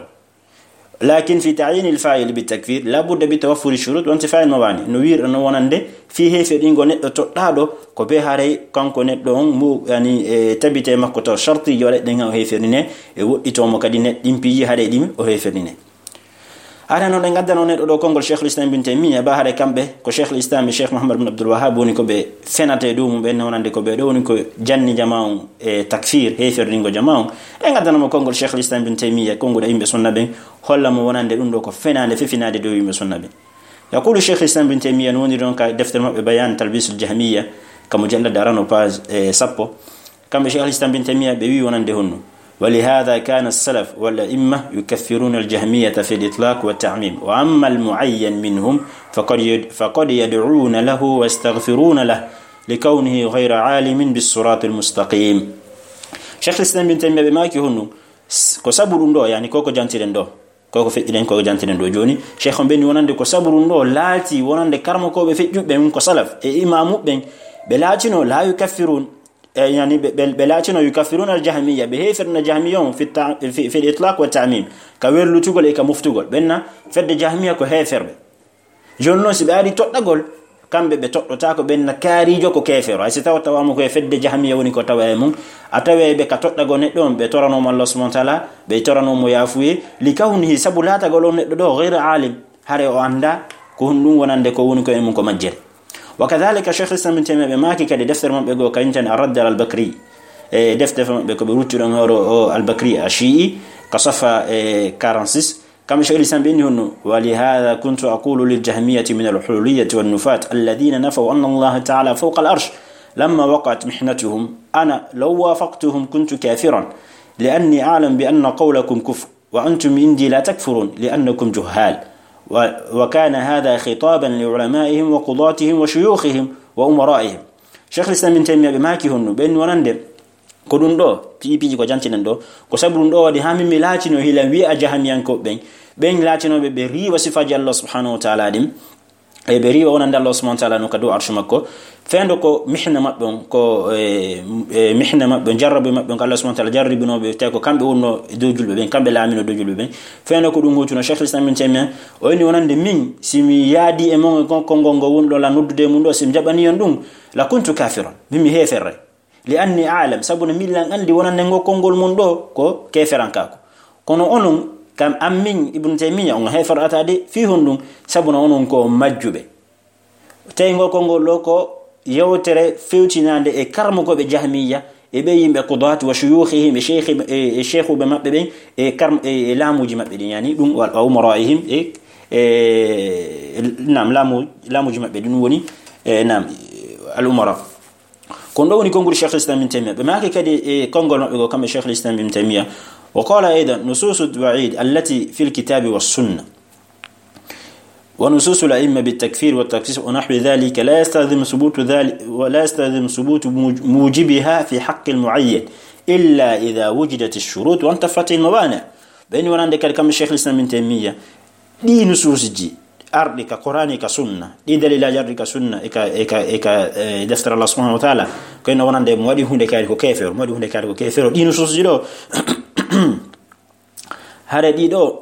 Lakin fi ta'yin al fa'il bi takfir, la budda bi tawaffuri shurut wa intifa'i al mawani. No wiirɗa no wonande, fi heeferɗingol neɗɗo toɗɗaaɗo, ko be haray kanko neɗɗo on, mu, yani, e tabite makko taw, shartiiji waɗay ɗen haa o heeferɗine, e woɗɗitoo mo kadi ne, ɗin piiji haray ɗin o heeferɗine. Hara noon, en ngaddanoo neɗɗo ɗo konngol Cheikhul Islam Ibn Taymiyya, ba hara kamɓe ko Cheikhul Islam e Cheikh Muhammad bin Abdul Wahhab woni ko ɓe fenata e dow mum ɓen, wonande ko ɓe ɗo woni ko janni jamaa on e takfir, heeferɗingo jamaa on. En ngaddanoo mo konngol Cheikhul Islam Ibn Taymiyya, konnguɗo yimɓe sunna ɓen, holla mo wonande ɗum ɗo ko fenaande, fefinaade dow yimɓe sunna ɓen. Yaqulu Cheikhul Islam Ibn Taymiyya, no woniri ɗon ka deftere maɓɓe Bayan Talbisul Jahmiyya, ka mujallad arano page, e, sappo. Kamɓe Cheikhul Islam Ibn Taymiyya ɓe wi wonande honno. ولهذا كان السلف والأئمة يكفرون الجهمية في الإطلاق والتعميم، وأما المعين منهم فقد يد-، فقد يدعون له ويستغفرون له لكونه غير عالم بالصراط المستقيم. Cheikh Islam bin Taymiya ɓe maaki honno, s-, ko sabu ɗum ɗo, yani ko ko jantiren ɗo, ko ko feƴƴiɗen, ko ko jantiren ɗo jooni. Cheikh on ɓenni wonande ko sabu ɗum ɗo laati wonande karmakooɓe feƴƴuɓe ɓen ko salaf e imaamu ɓen, ɓe laatino la yukaffirun, e yani ɓe, ɓe, ɓe laatino yukaffiruna al-jahmiya, ɓe heeferna jahmiya on fi ta-, fi, fi itlaq wa ta'mim, ka werlutugol e ka muftugol. Ɓenna fedde jahmiya ko heeferɓe. Jooni noon, si ɓe ari toɗɗagol, kamɓe ɓe toɗɗotaako ɓenna kaariijo ko keefeero. Hay si tawa tawaama ko e fedde jahmiya woni ko tawa e mum, a taway ɓe ka toɗɗagol neɗɗo on, ɓe toranooma Allah subhanahu wa ta'ala, ɓe toranooma yaafuye, li kawnihi, sabu laatagol on neɗɗo ɗo, ghayra alim, hare o annda ko honɗum wonande ko woni ko e mum ko majjere. Wa kadhalika Cheikh Islam Ibn Taymiyyah ɓe maaki kadi deftere maɓɓe goo, kañum tan Ar-Radd ala al-Bakri, e deftere maɓɓe ko ɓe ruttiɗon hoore o Al-Bakri Ash-Shi'i, ka safa, e, quarante-six, kamɓe Cheikh Islam ɓe inni honno, ولهذا كنت أقول للجهمية من الحلولية والنفاة الذين نفوا أن الله تعالى فوق العرش لما وقعت محنتهم، أنا لو وافقتهم كنت كافرا، لأني أعلم بأن قولكم كفر، وأنتم عندي لا تكفرون لأنكم جهال. و-، وكان هذا خطابا لعلمائهم وقضاتهم وشيوخهم وأمرائهم. Cheikh Islam Ibn Taymiyyah ɓe maaki honno, ɓen wonande ko ɗum ɗo, piiji piiji ko jantinen ɗo, ko sabu ɗum ɗo waɗi haa min mi laatino hila wi'a jahamiyankooɓe ɓen, ɓen laatinooɓe ɓe riiwa sifaaji Allah subhanahu wa ta'ala ɗin, e ɓe riiwa wonande Allah subhanahu wa ta'ala no ka dow arsh makko, fendo ko mihna maɓɓe on, ko, e, e, mihna maɓɓe on, jarrabu maɓɓe on, ko Allah subhanahu wa ta'ala jarribinooɓe, tawi ko kamɓe wonno e dow julɓe ɓen, kamɓe laamino dow julɓe ɓen. Fendo ko ɗum huutuno, Cheikh Islam Ibn Taymiyyah, o inni wonande min, si mi yaadi e mon e kon konngol ngol woni ɗo la noddude e mum ɗo, si mi jaɓani on ɗum, la kuntu kafiran, min mi heeferre. Li anni a'lam, sabu no min lan anndi wonande ngol konngol mum ɗo ko keeferankaaku. Kono onon, kam an min Ibn Taymiyyah, on heeferata de, fii honɗum? Sabu no onon ko majjuɓe. Tawi ngol konngol ɗo ko yewtere fewtinaande e karmokooɓe Jahmiyya, e ɓe yimɓe Qudaat wa shuyuukhihim, e sheikh, e, e sheikhuɓe maɓɓe ɓen, e karm-, e, e laamuuji maɓɓe ɗin, yani ɗum wa, wa umara'ihim, e, e, naam, laamu-, laamuuji maɓɓe ɗin woni, e, naam, al umara. Ko ɗum ɗo woni konngudi Cheikh Islam Ibn Taymiyyah. Ɓe maaki kadi e konngol maɓɓe goo, kamɓe Cheikh Islam Ibn Taymiyyah, وقال أيضا: نصوص الوعيد التي في الكتاب والسنة ونصوص الأئمة بالتكفير والتخصيص ونحو ذلك لا يستلزم ثبوت ذلك، ولا يستلزم ثبوت موج-، موجبها في حق المعين إلا إذا وجدت الشروط وانتفت الموانع. Ɓe inni wonande kadi kamɓe Cheikh Islam Ibn Taymiyyah, ɗii nusuusiji arɗi ka Qur'aani, ka Sunna, ɗii dalilaaji arɗi ka Sunna, e ka, e ka, e ka, e deftere Allah subhanahu wa ta'ala, ko ino wonande mo waɗi huunde kaari ko keefeero, mo waɗi huunde kaari ko keefeero. Ɗii nusuusiji ɗo, hare ɗii ɗo,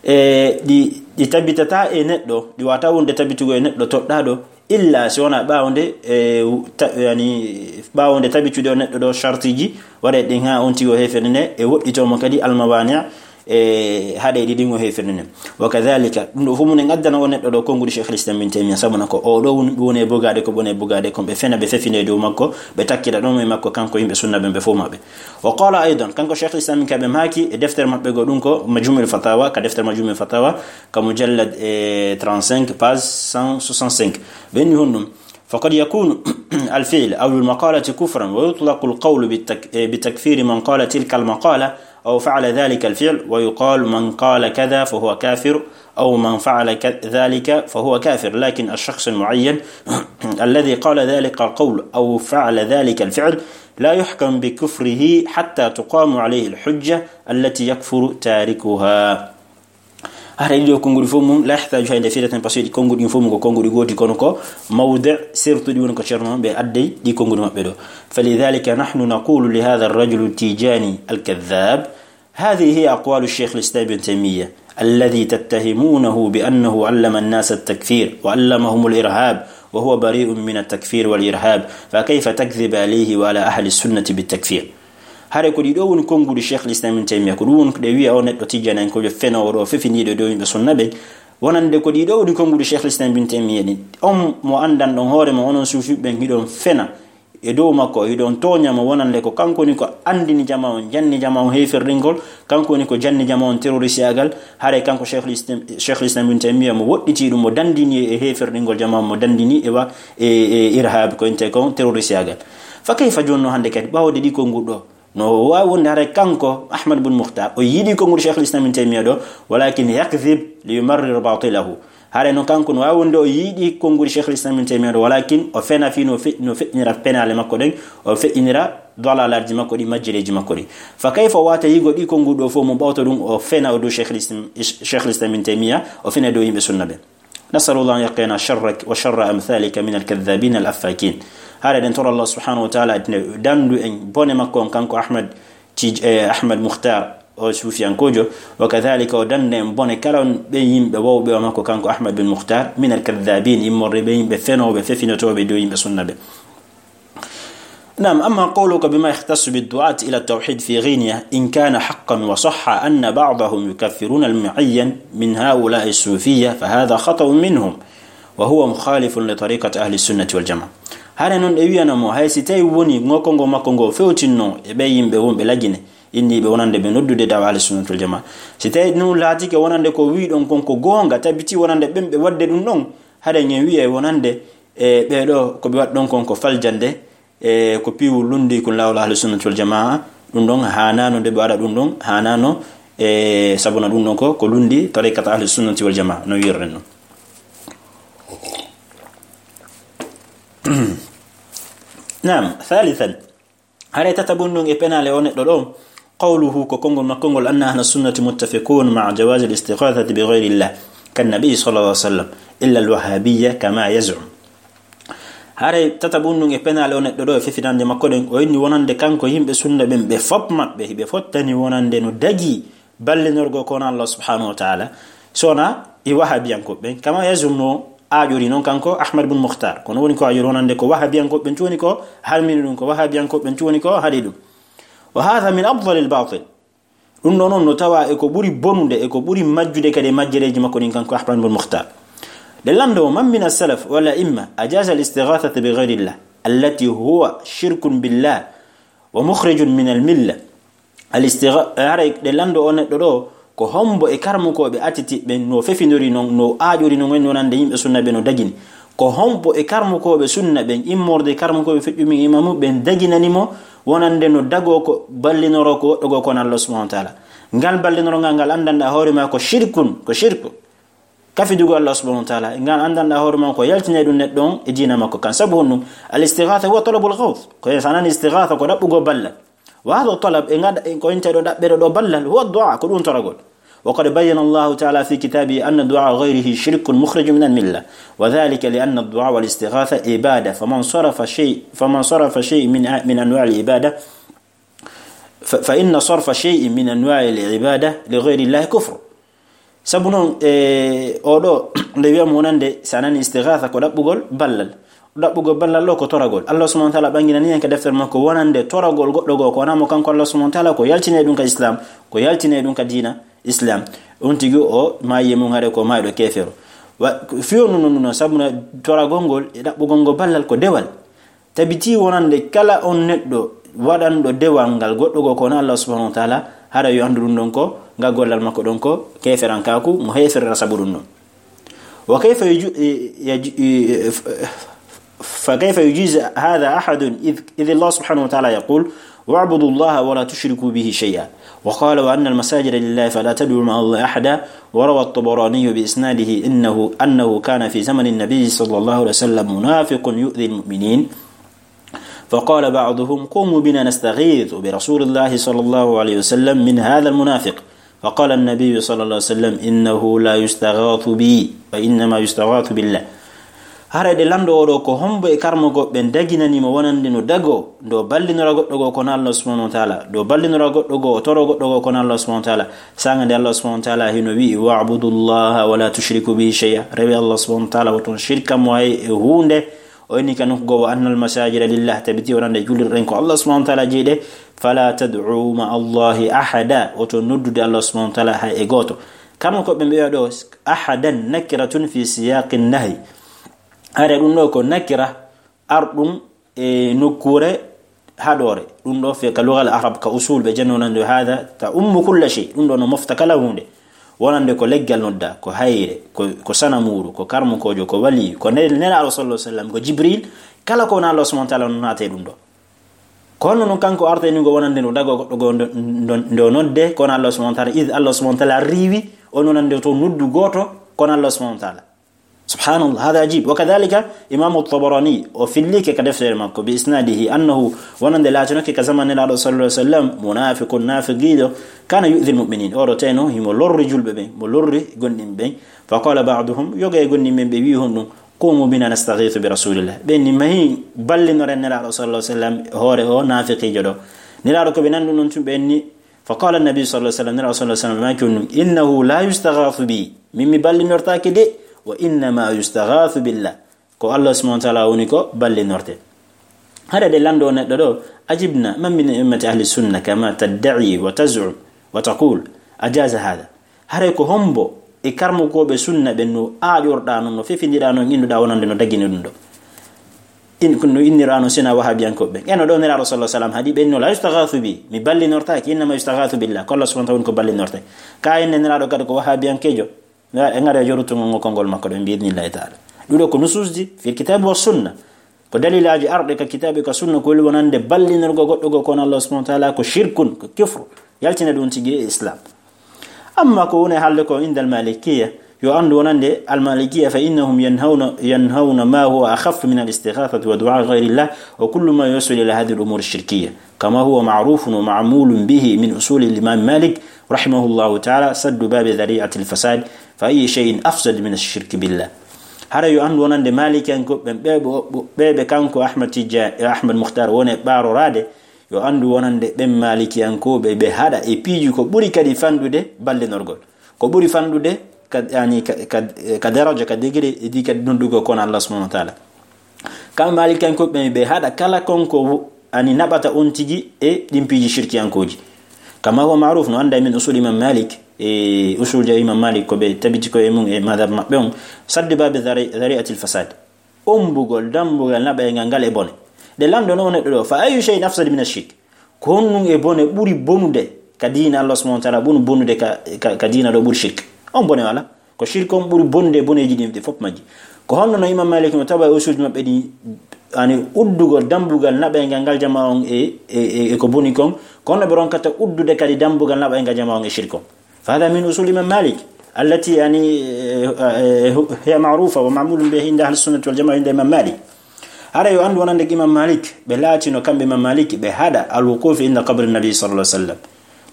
e ɗi, ɗi tabitataa e neɗɗo, ɗi waawataa wonde tabitugol e neɗɗo toɗɗaaɗo, illa si wonaa ɓaawo nde, e, ta-, yani, ɓaawo nde tabitude o neɗɗo ɗo shartiiji, waɗa ɗin haa on tigi o heeferine, e woɗɗitoo mo kadi almawaani', e haɗe ɗi ɗin o heeferine. Wa kadhalika, ɗum ɗo fof mum en addana o neɗɗo ɗo konngudi Cheikh Islam Ibn Taymiyyah, sabu na ko o ɗo woni, woni e bogaade ko, woni e bogaade ko, ɓe fena, ɓe fefine e dow makko, ɓe takkita ɗon e makko, kanko yimɓe sunna ɓen, ɓe fof maɓɓe. Wa qala aydan, kanko Cheikh Islam ka ɓe maaki e deftere maɓɓe goo, ɗum ko Majmu'ul Fatawa, ka deftere Majmu'ul Fatawa, ka mujallad, e, trente-cinq, page cent soixante-cinq. Ɓe inni honɗum, فقد يكون الفعل أو المقالة كفرا، ويطلق القول بالتك-، بتكفير من قال تلك المقالة أو فعل ذلك الفعل، ويقال من قال كذا فهو كافر، أو من فعل ك-، ذلك فهو كافر، لكن الشخص المعين الذي قال ذلك القول أو فعل ذلك الفعل لا يحكم بكفره حتى تقام عليه الحجة التي يكفر تاركها. Hara ɗiɗo konngudi fof mum, la yahtaju hay nde fireten, parce que ɗi konngudi ɗin fof mum ko konngudi gooti, kono ko mawdi' sertuɗi woni ko Ceerno ɓe addi ɗi konngudi maɓɓe ɗo. فلذلك نحن نقول لهذا الرجل التيجاني الكذاب: هذه هي أقوال الشيخ الإسلام ابن تيمية الذي تتهمونه بأنه علم الناس التكفير وعلمهم الإرهاب وهو بريء من التكفير والإرهاب، فكيف تكذب عليه وعلى أهل السنة بالتكفير؟ Hare ko ɗii ɗoo woni konngudi Cheikh Islam Ibn Taymiyyah, ko ɗum woni ko ɗe wi'a o neɗɗo tijjanankoojo fenoowo ɗo, fefindiiɗo e dow yimɓe sunna ɓen. Wonande ko ɗii ɗoo woni konngudi Cheikh Islam Ibn Taymiyyah ɗin. On mo anndanɗon hoore mon, onon suufi ɓen, hiɗon fena e dow makko, hiɗon tooña mo wonande ko kanko woni ko anndini jamaa on, janni jamaa on heeferɗingol, kanko woni ko janni jamaa on terroristeyaagal. Hare kanko Cheikh Islam, Cheikh Islam Ibn Taymiyyah mo woɗɗitii ɗum, mo danndini e heeferɗingol jamaa on, mo danndini e wa-, e, e irhab, ko intee kon terroristeyaagal. Fa kayfa jooni no hannde kadi, ɓawde ɗii konngudi ɗoo, No waawi wonde haray kanko Ahmad bun Mukhtar o yiɗi konguɗi Cheikhul Islam Ibn Taymiya ɗo, walakin yakdhib li yumarrir batilahu. Haray no kanko no waawi wonde o yiɗi konguɗi Cheikhul Islam Ibn Taymiya ɗo, walakin o fena fii no fe-, no feƴƴinira penaale makko ɗen, o feƴƴinira dalalaji makko ɗi, majjireeji makko ɗi. Fa kayfa wata yigo ɗi konguɗi ɗo fof mo ɓawto ɗum o fena o dow Cheikhul Islam, Cheikhul Islam Ibn Taymiya, o fena dow yimɓe sunna ɓe. Nasalullah an yaqina sharrak wa sharra amthalika min alkadhabin alaffakin. Haray ɗen toro Allah subhanahu wa ta'ala ene dandu en bone makko on kanko Ahmad Tij-, eh, Ahmad Mukhtar o suufiyankojo, wa kadhalika o danda en bone kala on ɓe yimɓe wawɓe o makko kanko Ahmad bin Mukhtar, min alkadhabin, immorde ɓe yimɓe fenooɓe, fefinotooɓe dow yimɓe sunna ɓe. نعم، أما قولك بما يختص بالدعاة إلى التوحيد في غينيا، إن كان حقا وصح أن بعضهم يكفرون المعين من هؤلاء الصوفية، فهذا خطأ منهم، وهو مخالف لطريقة أهل السنة والجماعة. Hare non ɗe wiyana mo, hay si tawi woni ngo kongo makko ngo fewtinno e ɓe yimɓe wonɓe Lagine, inniiɓe wonande ɓe noddude dawa Ahli Sunnati wal Jamaa. Si tawi ɗum laatike wonande ko wiɗon kon ko goonga, tabiti wonande ɓen ɓe waɗde ɗum ɗon, hare ngen wiyay wonande e ɓee ɗo ko ɓe waɗi ɗon kon ko faljande, e ko piiwu lundi kun laawol Ahli Sunnati wal Jamaa. Ɗum ɗon haanaano nde ɓe waɗa ɗum ɗon, haanaano, e sabuna ɗum ɗon ko, ko lundi tariqata Ahli Sunnati wal Jamaa, no wi'irɗen non. Naam, thalithan. Hare tatabun ɗum e penaale o neɗɗo ɗo, qawluhu, ko konngol makko ngol, anna ahla sunnati muttafiqun ma'a jawazi al-istighathati bi ghayri llah, kan nabi sallallahu alaihi wasallam, illa al-wahhabiyya kama yaz'um. Hare tatabun ɗum e penaale o neɗɗo ɗo e fefinande makko ɗen, o inni wonande kanko yimɓe sunna ɓen ɓe fop maɓɓe, ɓe fottani wonande no dagi ballinorgo ko wona Allah subhanahu wa ta'ala, so wona e wahabiyankoɓe ɓen, kama yazum no aaƴori non kanko Ahmad bun Mukhtar. Kono woni ko aaƴori wonande ko wahabiyankoɓe ɓen tun woni ko harmini ɗum, ko wahabiyankoɓe ɓen tun woni ko haɗi ɗum. Wa hadha min afdalil batil. Ɗum ɗo non no tawa e ko ɓuri bonude, e ko ɓuri majjude kadi e majjereeji makko ɗin kanko Ahmad bun Mukhtar. Ɗe lanndo, man min as-salaf wal a'imma ajaza al-istighathata bi ghayrillah, allati huwa shirkun billah wa mukhrijun min al-milla. Al-istigha-, haray ɗe lanndo o neɗɗo ɗo, ko hombo e karmukooɓe atitiɓɓe no fefindori non, no aaƴori non, en wonande yimɓe sunna ɓe no dagini? Ko hombo e karmukooɓe sunna ɓen, immorde e karmukooɓe feƴƴumi imamu ɓen daginani mo wonande no dagoo ko ballinoro ko woɗɗogoo ko wona Allah subhanahu wa ta'ala? Ngal ballinoro ngal, ngal anndanɗa hoore ma ko shirkun, ko shirku. Kafidugol Allah subhanahu wa ta'ala, ngal anndanɗa hoore ma ko yaltinay ɗum neɗɗo on e diina makko kan. Sabu honɗum? Al-istighatha huwa talabul ghawth. Ko en sanani istighatha ko ɗaɓɓugol ballal. Wa hadha talab, e ngada, e ko inta ɗo ɗaɓɓere ɗo ballal, huwa du'a, ko ɗum toragol. Wa qad bayyana Allahu ta'ala fi kitabihi anna du'a ghayrihi shirkun mukhrijun min al-milla. Wa dhalika li anna ad-du'a wal istighatha ibada. Faman sarafa shay-, faman sarafa shay min a-, min anwa' al-ibada, fa, fa inna sarfa shay'in min anwa' al-ibada li ghayri Allah kufr. Sabu non, e, o ɗo, nde wiyamo wonande, sa nani istighatha ko ɗaɓɓugol ballal. Ɗaɓɓugol ballal ɗo ko toragol. Allah subhanahu wa ta'ala ɓanginani en ka deftere makko wonande toragol goɗɗo goo ko wona mo kanko Allah subhanahu wa ta'ala, ko yaltine ɗum ka Islam, ko yaltine ɗum ka diina Islam. On tigi o maayi e mum haɗe ko maayɗo keefero. Wa, fiyo nun, nun, nun, sabu na toragol ngol e ɗaɓɓugol ngol ballal ko dewal. Tabiti wonande kala on neɗɗo waɗanɗo dewal ngal goɗɗo goo ko wona Allah subhanahu wa ta'ala, hara yo anndu ɗum ɗon ko, ngal gollal makko ɗon ko keeferankaaku, mo heeferira sabu ɗum ɗon. Wa kayfa yuju-, yaju-, fa kayfa yujizu hadha ahadun idh, idh Allah subhanahu wa ta'ala yaqul, "Wa'budu Allah wa la tushriku bihi shay'a." Wa qala, "Wa anna al-masajida lillahi fala tad'u ma'a Allah ahada." وروى الطبراني بإسناده إنه، أنه كان في زمن النبي صلى الله عليه وسلم منافق يؤذي المؤمنين، فقال بعضهم: "قوموا بنا نستغيث برسول الله صلى الله عليه وسلم من هذا المنافق." فقال النبي صلى الله عليه وسلم: "إنه لا يستغاث بي، وإنما يستغاث بالله." Hara ɗe lanndo o ɗo, ko hombo e karmugol ɓen daginani mo wonande no dago, ndo ballinora goɗɗo goo ko wona Allah subhanahu wa ta'ala, ndo ballinora goɗɗo goo, o toro goɗɗo goo ko wona Allah subhanahu wa ta'ala. Saanga nde Allah subhanahu wa ta'ala hino wi'i, "Wa'budu Allaha wa la tushriku bihi shay'a." Rewe Allah subhanahu wa ta'ala, woton shirka mo hay e huunde. O inni ka nokku goo, "Wa annal masajida lillah." Tabiti wonande jullirɗen ko Allah subhanahu wa ta'ala jeyi ɗe. "Fala tad'u ma'a Allahi ahada." Woton noddude Allah subhanahu wa ta'ala hay e gooto. Karmukooɓe ɓen ɓe wi'a ɗo, "Ahadan nakiratun fi siyaqin nahy." Hare ɗum ɗo ko nakira arɗum e nokkuure haɗoore. Ɗum ɗo fe ka lugal arab, ka usul ɓe janno nande hada ta ummu kulla shay. Ɗum ɗo no mofta kala huunde. Wonande ko leggal nodda, ko hayre, ko, ko sanamuuru, ko karmukoojo, ko waliyu, ko ne-, nelaaɗo sallallahu alaihi wasallam, ko Jibril, kala ko wona Allah subhanahu wa ta'ala no naate ɗum ɗo. Ko honno non kanko artay ni ngo wonande no dago goɗɗo go ndo, ndo, ndo nodde kono Allah subhanahu wa ta'ala, id Allah subhanahu wa ta'ala riiwi on wonande to noddu gooto kono Allah subhanahu wa ta'ala. Subhanallah, hada ajib. Wa kadhalika Imam Tabarani o fillike ka deftere makko bi isnadihi annahu wonande laatinoke ka zaman Nelaaɗo sallallahu alaihi wasallam munafiqun nafiqijo kana yu'dhi almu'minin. Oɗo teno himo lorri julɓe ɓen, mo lorri gonɗinɓe ɓen. Fa qala ba'duhum, yoga e gonɗinɓe ɓen ɓe wi honɗum, qumu bina nastaghithu bi rasulillah. Ɓen ni mahi ballinoren Nelaaɗo sallallahu alaihi wasallam hoore o nafiqijo ɗo. Nelaaɗo ko ɓe nandu non tun ɓen ni. Fa qala annabi sallallahu alaihi wasallam, Nelaaɗo sallallahu alaihi wasallam maaki honɗum, innahu la yustaghathu bi. Min mi ballinortaake de, wa innama yustaghathu billah. Ko Allah subhanahu wa ta'ala woni ko ballinorte. Hara de lando neɗɗo ɗo, ajibna, man min ummati ahli sunna kama tadda'i wa taz'um wa taqul, ajaza hada. Haray ko hombo e karmukooɓe sunna ɓen no aaƴorɗaa non, no fefindiraa non, innuɗaa wonande no dagini ɗum ɗo? In, no innirɗaa non sina wahabiyankooɓe ɓen. Eno ɗo Nelaaɗo sallallahu alaihi wasallam haɗi ɓen no, la yustaghathu bi, mi ballinortaake, innama yustaghathu billah, ko Allah subhanahu wa ta'ala woni ko ballinorte. Ka enne Nelaaɗo kadi ko wahabiyankeejo, e ngare jorutugol ngol konngol makko ɗo, bi idnillahi ta'ala. Ɗuɗo ko nususji fil kitabi wa sunna. Ko dalilaaji arɗe ka kitaabe ka sunna ko weli wonande ballinorgo goɗɗo go kono Allah subhanahu wa ta'ala ko shirkun, ko kufru. Yaltina ɗum tigi e Islam. Amma ko woni haalde ko indal Malikiyya, yo anndu wonande al Malikiyya fa innahum yanhawna, yanhawna ma huwa akhaffu min al istighathati wa du'a ghayrillah wa kullu ma yuwassil ila hadhihi al umur ash shirkiyya. Kama huwa ma'rufun wa ma'mulun bihi min usuli al Imam Malik rahimahullahu ta'ala saddu babi dhari'ati al fasad fa ayyu shay'in afsad min ash shirk billah. Hara yo anndu wonande Malikiyanko ɓen ɓe, ɓe, ɓe, ɓe kanko Ahmad Tijja-, Ahmad Mukhtar woni ɓaaroraade, yo anndu wonande ɓen Malikiyankooɓe ɓe haɗa e piiji ko ɓuri kadi fanɗude ballinorgol. Ko ɓuri fanɗude ka, yani, ka, ka, ka daraja, ka degré, e di kadi noddugo kono Allah subhanahu wa ta'ala. Kamɓe Malikiyankooɓe ɓe haɗa kala kon ko wo-, ani naɓata on tigi e ɗin piiji shirkiyankooji. Kama huwa ma'ruf, no annda min usul Imam Malik, e usul je Imam Malik ko ɓe tabiti ko e mum e madhab maɓɓe on, saddu babi dhari-, dhari'atil fasad. Ombugol, dambugal naɓaygal ngal e bone. De lanndo no neɗɗo ɗo, fa ayyu shay'in afsad min ash-shirk? Ko honɗum e bone ɓuri bonude ka diina Allah subhanahu wa ta'ala, ɓuri bonude ka, ka, ka diina ɗo ɓuri shirk? On bone wala? Ko shirk on ɓuri bonude e boneeji ɗin ɗi fof majji. Ko honno no Imam Malik no tawa e usuuji maɓɓe ɗi, ani uddugol dambugal naɓaygal ngal jama on e, e, e, e ko boni kon, ko honno ɓe ronkata uddude kadi dambugal naɓaygal jama on e shirk on? Fa hada min usul Imam Malik, allati, yani, eh, eh, hiya ma'rufa wa ma'mulun biha inda ahli sunnati wal jamaa inda Imam Malik. Hara yo anndu wonande Imam Malik, ɓe laatino kamɓe Imam Malik, ɓe haɗa al wuquf inda qabri nabi sallallahu alaihi wasallam.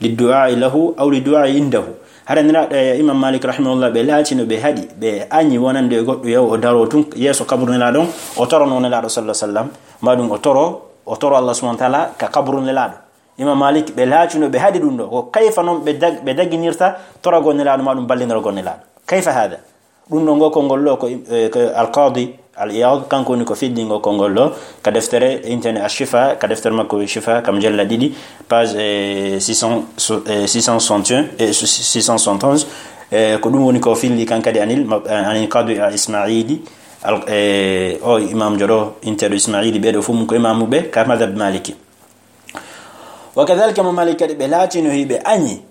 Liddu'a'i lahu aw liddu'a'i indahu. Hara nira, eh, Imam Malik rahimahullah, ɓe laatino, ɓe haɗi, ɓe añi wonande e goɗɗo yaw o daro tun yeeso kaburu Nelaaɗo on, o torono Nelaaɗo sallallahu alaihi wasallam, ma ɗum o toro, o toro Allah subhanahu wa ta'ala ka kaburu Nelaaɗo. Imam Malik, ɓe laatino, ɓe haɗi ɗum ɗo. Ko kayfa non ɓe dag-, ɓe daginirta toragol Nelaaɗo ma ɗum ballinorgol Nelaaɗo? Kayfa hada? Ɗum ɗo ngo konngol ɗo ko, eh, ko Al-Qadi Al-Iyad, kanko woni ko fiddi ngo konngol ɗo, ka deftere intene Ash-Shifa, ka deftere makko Shifa, ka mujalla ɗiɗi, page, eh, six cents, so-, eh, six cent soixante et un, eh, six cent soixante et onze, eh, ko ɗum woni ko filli kan kadi anil, ma-, eh, anil Qadi Al-Ismaili, al-, eh, o imam joɗo, inteɗo Ismaili, ɓeɗo fof mum ko imamuɓe ka madhab Maliki. Wa kadhalika Imam Malik kadi ɓe laatino hiɓe añi.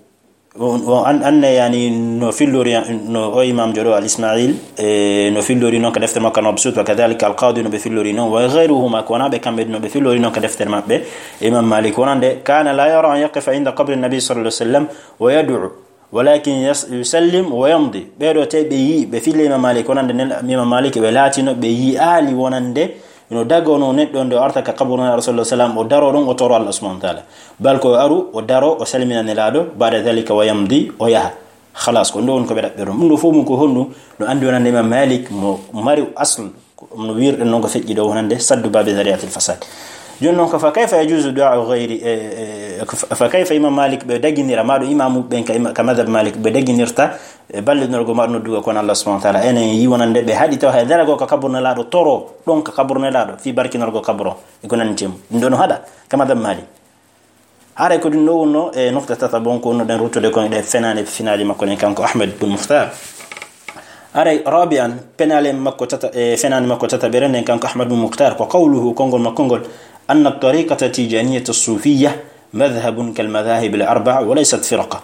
On, on an-, anne yani no fillori, no o imam joɗo Al Ismail, e no fillori non ka deftere makko Al Mabsut, wa kadhalika Al Qadi no ɓe fillori non, wa ghayruhuma, ko wona ɓe kamɓe no ɓe fillori non ka deftere maɓɓe, Imam Malik wonande, kana la yara an yaqifa inda qabri nabi sallallahu alaihi wasallam wa yad'u, walakin yas-, yusallim wa yamdi. Ɓeɗo te ɓe yi, ɓe fille Imam Malik wonande nen, Imam Malik ɓe laatino ɓe yi ali wonande no dagono neɗɗo nde o arta ka kaburu Nelaaɗo sallallahu alaihi wasallam, o daro ɗon, o toro Allah subhanahu wa ta'ala. Bal ko aru, o daro, o salmina Nelaaɗo, ba'da dhalika wa yamdi, o yaha. Khalas, ko ɗum ɗo woni ko ɓe ɗaɓɓiron. Ɗum ɗo fof mum ko honɗum? No anndi wonande Imam Malik mo mari asl, no wirɗen noon ko feƴƴi ɗo wonande saddu babi dhari'atil fasad. Jooni noon ko fa kayfa yajuzu du'a ghayri, e, e, ko fa, fa kayfa Imam Malik ɓe daginira, ma ɗo imamu ɓen ka ima-, ka madhab Malik ɓe daginirta, e ballinorgo ma ɗo noddugo kono Allah subhanahu wa ta'ala. Enen yi wonande ɓe haɗi taw hay darago ka kaburu Nelaaɗo toro, ɗon ka kaburu Nelaaɗo, fi barkinorgo kaburu, e ko nanndi mum. Ɗum ɗo no haɗa, ka madhab Malik. Haray ko ɗum ɗo wonno e nokta tata bon ko wonno ɗen ruttude kon e ɗe fenaande, finaaji makko ɗen kanko Ahmad bun Mukhtar. Haray rabi'an, penaale makko tata, e fenaande makko tata ɓere nden kanko Ahmad bun Mukhtar, ko qawluhu, konngol makko ngol, anna tariqata tijaniyata sufiyya madhhabun kal madhahib al arba'a wa laysat firqa.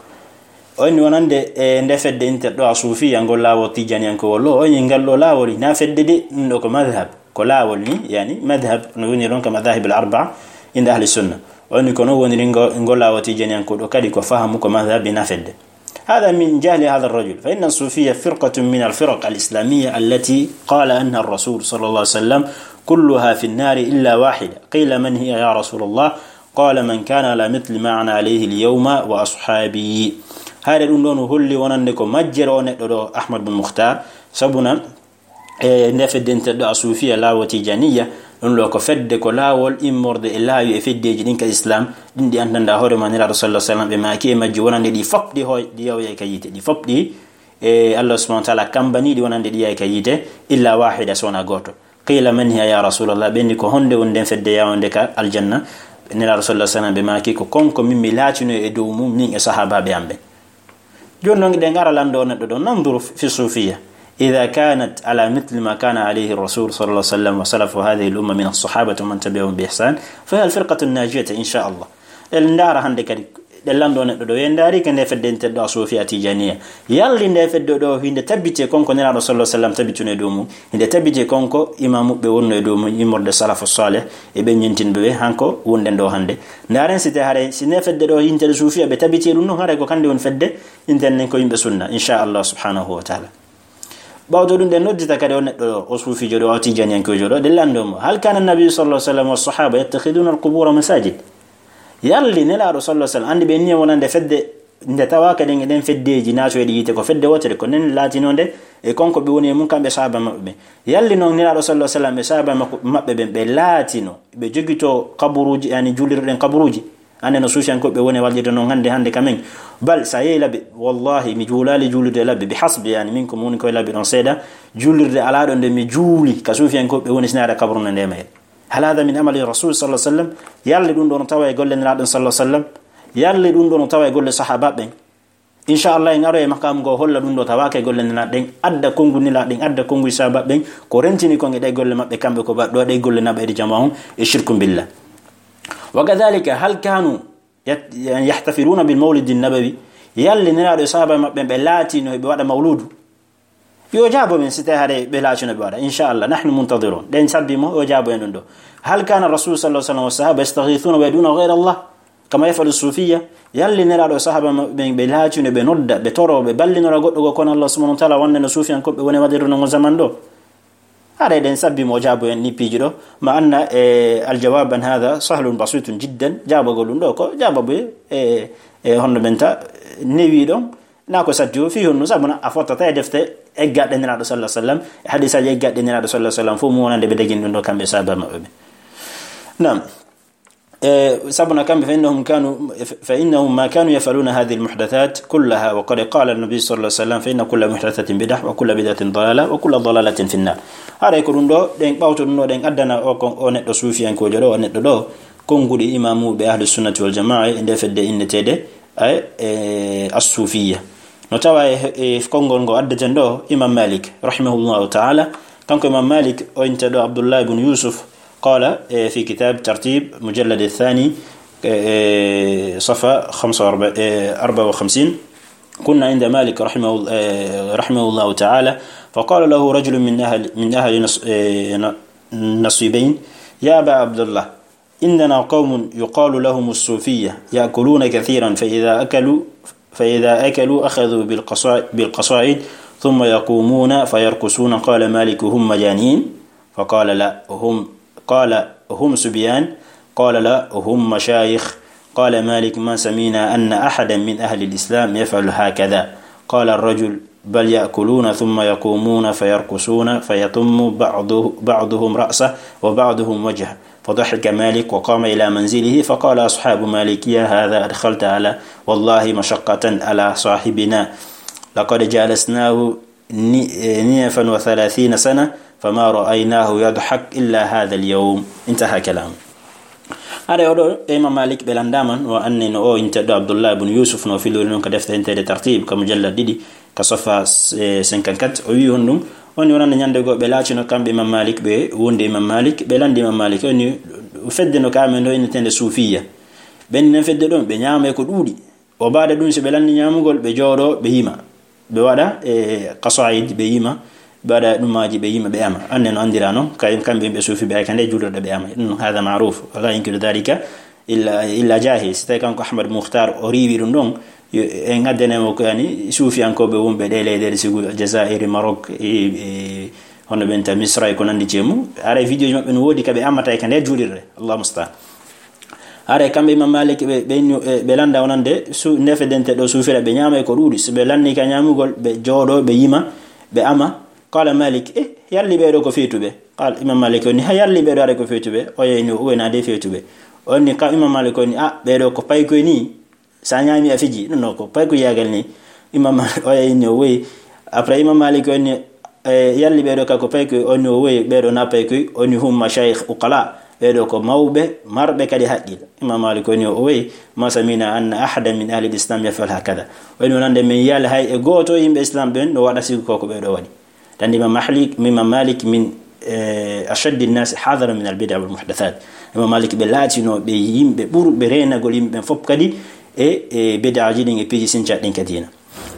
O inni wonande e nde fedde inter ɗo a suufiya ngol laawol tijaniyankowol ɗo, o inni ngal ɗo laawol ina fedde de, ɗum ɗo ko madhhab, ko laawol ni, yani madhhab no woni ɗon ka madhahib al arba'a, Inda ahli sunna. O inni ko noon woniri ngo, ngo laawo tijaniyanko ɗo kadi ko fahamu ko madhab ina fedde. هذا من جهل هذا الرجل، فإن الصوفية فرقة من الفرق الإسلامية التي قال عنها الرسول صلى الله عليه وسلم: "كلها في النار إلا واحدة". قيل: "من هي يا رسول الله؟" قال: "من كان على مثل ما أنا عليه اليوم وأصحابي". Haade ɗum ɗoon holli wonande ko majjere o neɗɗo ɗo, Ahmad bin Mukhtar, sabuna e nde fedde nteɗɗo a suufiya laawo tijaniya, ɗum ɗo ko fedde ko laawol immorde e laawi e feddeeji ɗin ka Islam, ɗin ɗi anndanɗaa hoore ma Nelaaɗo sallallahu alaihi wasallam, ɓe maaki e majji wonande ɗi fop ɗi hoy-, ɗi yaway ka yiite, ɗi fop ɗi, e Allah subhanahu wa ta'ala kambani ɗi wonande ɗi yahay ka yiite, illa wahida, so wonaa gooto. Qila: "Man hiya ya Rasulallah?" Ɓe inni: "Ko honde woni nden fedde yawande ka aljanna?" Nelaaɗo sallallahu alaihi wasallam ɓe maaki: "Ko konko min mi laatino e dow mum, min e sahaabaaɓe am ɓen." Jooni noon, eɗen ara lanndo o neɗɗo ɗo, ننظر في الصوفية. إذا كانت على مثل ما كان عليه الرسول صلى الله عليه وسلم وسلف هذه الأمة من الصحابة ومن تبعهم بإحسان، فهي الفرقة الناجية إن شاء الله. En ndaara hannde kadi, ɗen lanndo o neɗɗo ɗo, en ndaari ka nde fedde nteɗɗo a suufiya tijaniya. Yalli nde fedde ɗo hinde tabbiti e konko Nelaaɗo sallallahu alaihi wasallam tabbituno e dow mum. Hinde tabbiti e konko imaamuɓe wonno e dow mum, immorde salafu salih, e ɓen ñentinɓe ɓe, hanko wonɗen ɗo hannde. Ndaaren si te haray, si ne fedde ɗo yintere suufiya ɓe tabiti e ɗum ɗon, haray ko kande woni fedde, inten nen ko yimɓe sunna, insha Allah subhanahu wa ta'ala. Ɓawto ɗum ɗen noddita kadi o neɗɗo ɗo, o suufijo ɗo, o tijaniyankejo ɗo, ɗen lanndo mo: "هل كان النبي صلى الله عليه وسلم والصحابة يتخذون القبور مساجد؟" Yalli Nelaaɗo sallallahu alaihi wasallam, anndi ɓe ni wonande fedde, nde tawa kadi e ɗen feddeeji naatoyɗi yiite ko fedde wootere, ko nen laatinonde e konko ɓe woni e mum kamɓe sahaaba maɓɓe ɓe. Yalli noon Nelaaɗo sallallahu alaihi wasallam e sahaaba makko, maɓɓe ɓen ɓe laatino, ɓe jogito kaburuuji, yani juulirɗen kaburuuji. Ande no suufiyankooɓe woni wallirde noon hannde, hannde ka men. Bal, sa yehi labbi, wallahi, mi juulaali juulirde labbi, bi hasbi, yani, min ko mi woni koye labbi ɗon seeɗa, juulirde alaa ɗo nde mi juuli ka suufiyankooɓe woni sinaare kabru no nde mayre. هل هذا من عمل الرسول صلى الله عليه وسلم؟ Yalli ɗum ɗo no tawa e golle Nelaaɗo sallallahu alaihi wasallam? Yalli ɗum ɗo no tawa e golle sahaaba ɓen? Insha Allah, en aroy e makamu ngo holla ɗum ɗo tawaaka e golle Nelaaɗo ɗen, adda konngu Nelaaɗo ɗen, adda konngu sahaaba ɓen, ko rentini kon e ɗe golle maɓɓe kamɓe ko ba-, ɗo ɗe golle naɓa e jama on e shirku billah. وكذلك، هل كانوا يت-، يعني، يحتفلون بالمولد النبوي؟ Yalli Nelaaɗo e sahaaba maɓɓe ɓe laatino ɓe waɗa mawludu? Yo jaabo men si tawi haɗe ɓe laatino ɓe waɗa. Insha Allah, نحن منتظرون. Ɗen sabbi mo, yo jaabo en ɗum ɗo. هل كان الرسول صلى الله عليه وسلم والصحابة يستغيثون ويدعون غير الله كما يفعل الصوفية؟ Yalli Nelaaɗo e sahaaba maɓɓe ɓen ɓe laatino ɓe nodda, ɓe toro, ɓe ballinora goɗɗo goo kono Allah subhanahu wa ta'ala wonde no suufiyankooɓe woni waɗirde non zaman ɗo? Haɗa eɗen sabbi mo jaabo en ni piiji ɗo, ma anna e aljawab an hada sahlun basitun jiddan, jaabagol ɗum ɗo ko jaababu e, e, e honno men ta newi ɗon, na ko saddi o fii honno, sabuna a fottata e defte eggaɗe Nelaaɗo sallallahu alaihi wasallam, e hadisaaji eggaɗe Nelaaɗo sallallahu alaihi wasallam, fof mu wonande ɓe dagini ɗum ɗo kamɓe sahaaba maɓɓe ɓe. Naam. Eh, sabuna kamɓe, فإنهم كانوا، فإنهم ما كانوا يفعلون هذه المحدثات كلها، وقد قال النبي صلى الله عليه وسلم: "فإن كل محدثة بدعة، وكل بدعة ضلالة، وكل ضلالة في النار". Haray ko ɗum ɗo, ɗen ɓawto ɗum ɗo, ɗen addana o, ko, o neɗɗo suufiyankojo ɗo, o neɗɗo ɗo, konnguɗi imamuɓe ahlu sunnati wal jamaa e nde fedde inneteede, ay, e, as-suufiyya. No tawa e, e konngol ngo addeten ɗo, Imam Malik, rahimahullahu ta'ala, kanko Imam Malik, o inteɗo Abdullah ibn Yusuf, قال، إيه، في كتاب ترتيب مجلد الثاني، إيه، صفحة خمسة وأربعين، إيه، أربعة وخمسين: "كنا عند مالك رحمه، إيه، رحمه الله تعالى، فقال له رجل من أهل، من أهل نص-، إيه، ن-، نصيبين: يا أبا عبد الله، عندنا قوم يقال لهم الصوفية، يأكلون كثيرا، فإذا أكلوا، فإذا أكلوا أخذوا بالقصا-، بالقصائد، ثم يقومون فيرقصون. قال مالك: هم مجانين؟" فقال: "لا، هم"، قال: "هم صبيان؟" قال: "لا، هم مشايخ." قال مالك: "ما سمعنا أن أحدا من أهل الإسلام يفعل هكذا." قال الرجل: "بل يأكلون ثم يقومون فيرقصون فيطم بعضه-، بعضهم رأسه وبعضهم وجهه." فضحك مالك وقام إلى منزله، فقال أصحاب مالك: "يا هذا أدخلت على، والله، مشقة على صاحبنا، لقد جالسناه ni-، eh, نيفا وثلاثين سنة، فما رأيناه يضحك إلا هذا اليوم." انتهى كلامه. Haray oɗo e Imam Malik ɓe lanndaama, no anne no o inteɗo Abdullah ibn Yusuf no filori noon ka defte inteede Tartib, ka mujallad ɗiɗi, ka sofa, eh, cinquante-quatre, o wi'i honɗum, o inni wonande ñande goo ɓe laatino kamɓe Imam Malik, ɓe wondi Imam Malik, ɓe lanndi Imam Malik, o inni fedde no ka amen ɗo inneteende suufiyya. Ɓen nen fedde ɗon, ɓe ñaama e ko ɗuuɗi. O baada ɗum, si ɓe lanni ñaamugol, ɓe jooɗo, ɓe yima. Ɓe waɗa, e, qasaid, ɓe yima. ɓe waɗa ɗumaaji, ɓe yima, ɓe ama. Anne no anndira noon, kay, kamɓe yimɓe suufi ɓe, ay ka nde juulirɗe ɓe ama. Ɗum haadha ma'ruf, wala yunkiru dhalika illa, illa jahil. Si tawi kanko Ahmad Mukhtar o riiwi ɗum ɗon, yo, en addanemo ko yani suufiyankooɓe wonɓe ɗe leyɗeele sigu Jazairi, Maroc, e, e, hono ɓen ta Misra e ko nanndi e mum. Haray vidéo ji maɓɓe no woodi ka ɓe amata e ka nder juulirde. Allahu musta'an. Haray kamɓe Imam Malik ɓe, ɓe, ɓe lannda wonande su-, ndefe dente ɗo suufira ɓe ñaama e ko ɗuuɗi. So ɓe lanni ka ñaamugol, ɓe jooɗo, ɓe yima, ɓe ama. Qala Malik, eh, yalli ɓee ɗo ko feetuɓe? Qala Imam Malik o ni, ha yalli ɓee ɗo haray ko feetuɓe? O yehi ni, o wayna de feetuɓe. O ni ka Imam Malik o ni, ah, ɓee ɗo ko paykoy ni. Sa ñaami a fiji, non, non, ko paykoy yaagal ni. Imam Malik o yehi ni, o woyi. Après Imam Malik o ni, eh, yalli ɓee ɗo ka ko paykoy? O ni, o woyi, ɓee ɗo na paykoy. O ni, hum mashayikh uqala. Ɓee ɗo ko mawɓe, marɓe kadi haqqil. Imam Malik o ni, o woyi, ma samina anna ahadan min ahli al-islam yaf'al hakadha. O ni, wonande min yiyali hay e gooto yimɓe Islam ɓen no waɗa sigu ko ko ɓee ɗo waɗi. Tan Imam Malik, Imam Malik min, eh, ashaddi nnasi hadaran min al-bid'a wal muhdathat. Imam Malik ɓe laatino ɓe yimɓe ɓurɓe reenagol yimɓe ɓen fof kadi e, e bid'aji ɗin e piiji sincaɗi ɗin ka diina.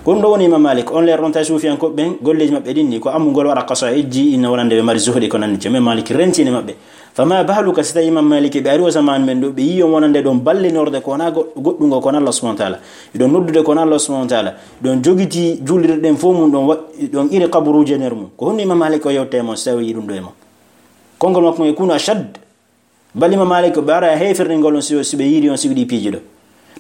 Ko ɗum ɗo woni Imam Malik. On leer ɗon tawi suufiyankooɓe ɓen, golleeji maɓɓe ɗin ni ko ammugol waɗa qasa'idji, ina wonande ɓe mari zuhdi ko nanndi. Imam Malik rentini maɓɓe. Fama baluka si tawi Imam Malik ɓe ari o zaman men ɗo, ɓe yii on wonande ɗon ballinorde ko wona go-, goɗɗungo ko wona Allah subhanahu wa ta'ala. Ɗon noddude ko wona Allah subhanahu wa ta'ala. Ɗon jogiti juulirɗe ɗen fof mum, ɗon wa-, ɗon iri kaburuuji e nder mum. Ko honno Imam Malik o yewte e mon, si tawi o yii ɗum ɗo e mon? Konngol makko ngon yakunu ashad. Bal Imam Malik ɓe ara e heeferɗingol on si, si ɓe yiiri on siwɗi piiji ɗo.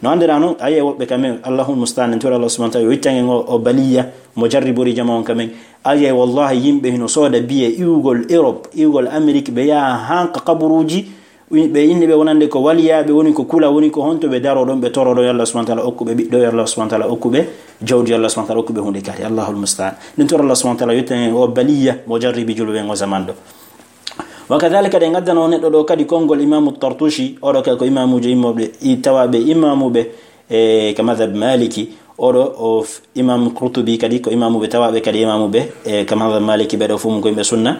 No anndira noon, a yi'ay woɓɓe kamen, Allahul musta'an, en tora Allah subhanahu wa ta'ala, yo ittan en o, o baliya, mo jarribori jama on kamen. A yi'ay wallahi yimɓe hino sooda biye iwugol Europe, iwugol Amérique, ɓe yaha haa ka kaburuuji, ɓe inni ɓe wonande ko waliyaaɓe, woni ko kula, woni ko honto ɓe daro ɗon, ɓe toro ɗon, yo Allah subhanahu wa ta'ala okku ɓe ɓiɗɗo, yo Allah subhanahu wa ta'ala okku ɓe jawdi, yo Allah subhanahu wa ta'ala okku ɓe huunde kadi. Allahul musta'an. Min tora Allah subhanahu wa ta'ala yo ittan en o baliya, mo jarribi julɓe ɓen o zaman ɗo. Wa kadhalika, ɗen addano neɗɗo ɗo kadi konngol Imaamu Tartushi, oɗo kay ko imaamuujo immooɓe, i tawaaɓe imaamuɓe, e, ka madhab Maliki, oɗo o f-, Imam Qurtubi kadi ko imaamuɓe tawaaɓe kadi imaamuɓe, e, ka madhab Maliki, ɓe ɗo fof mum ko yimɓe sunna,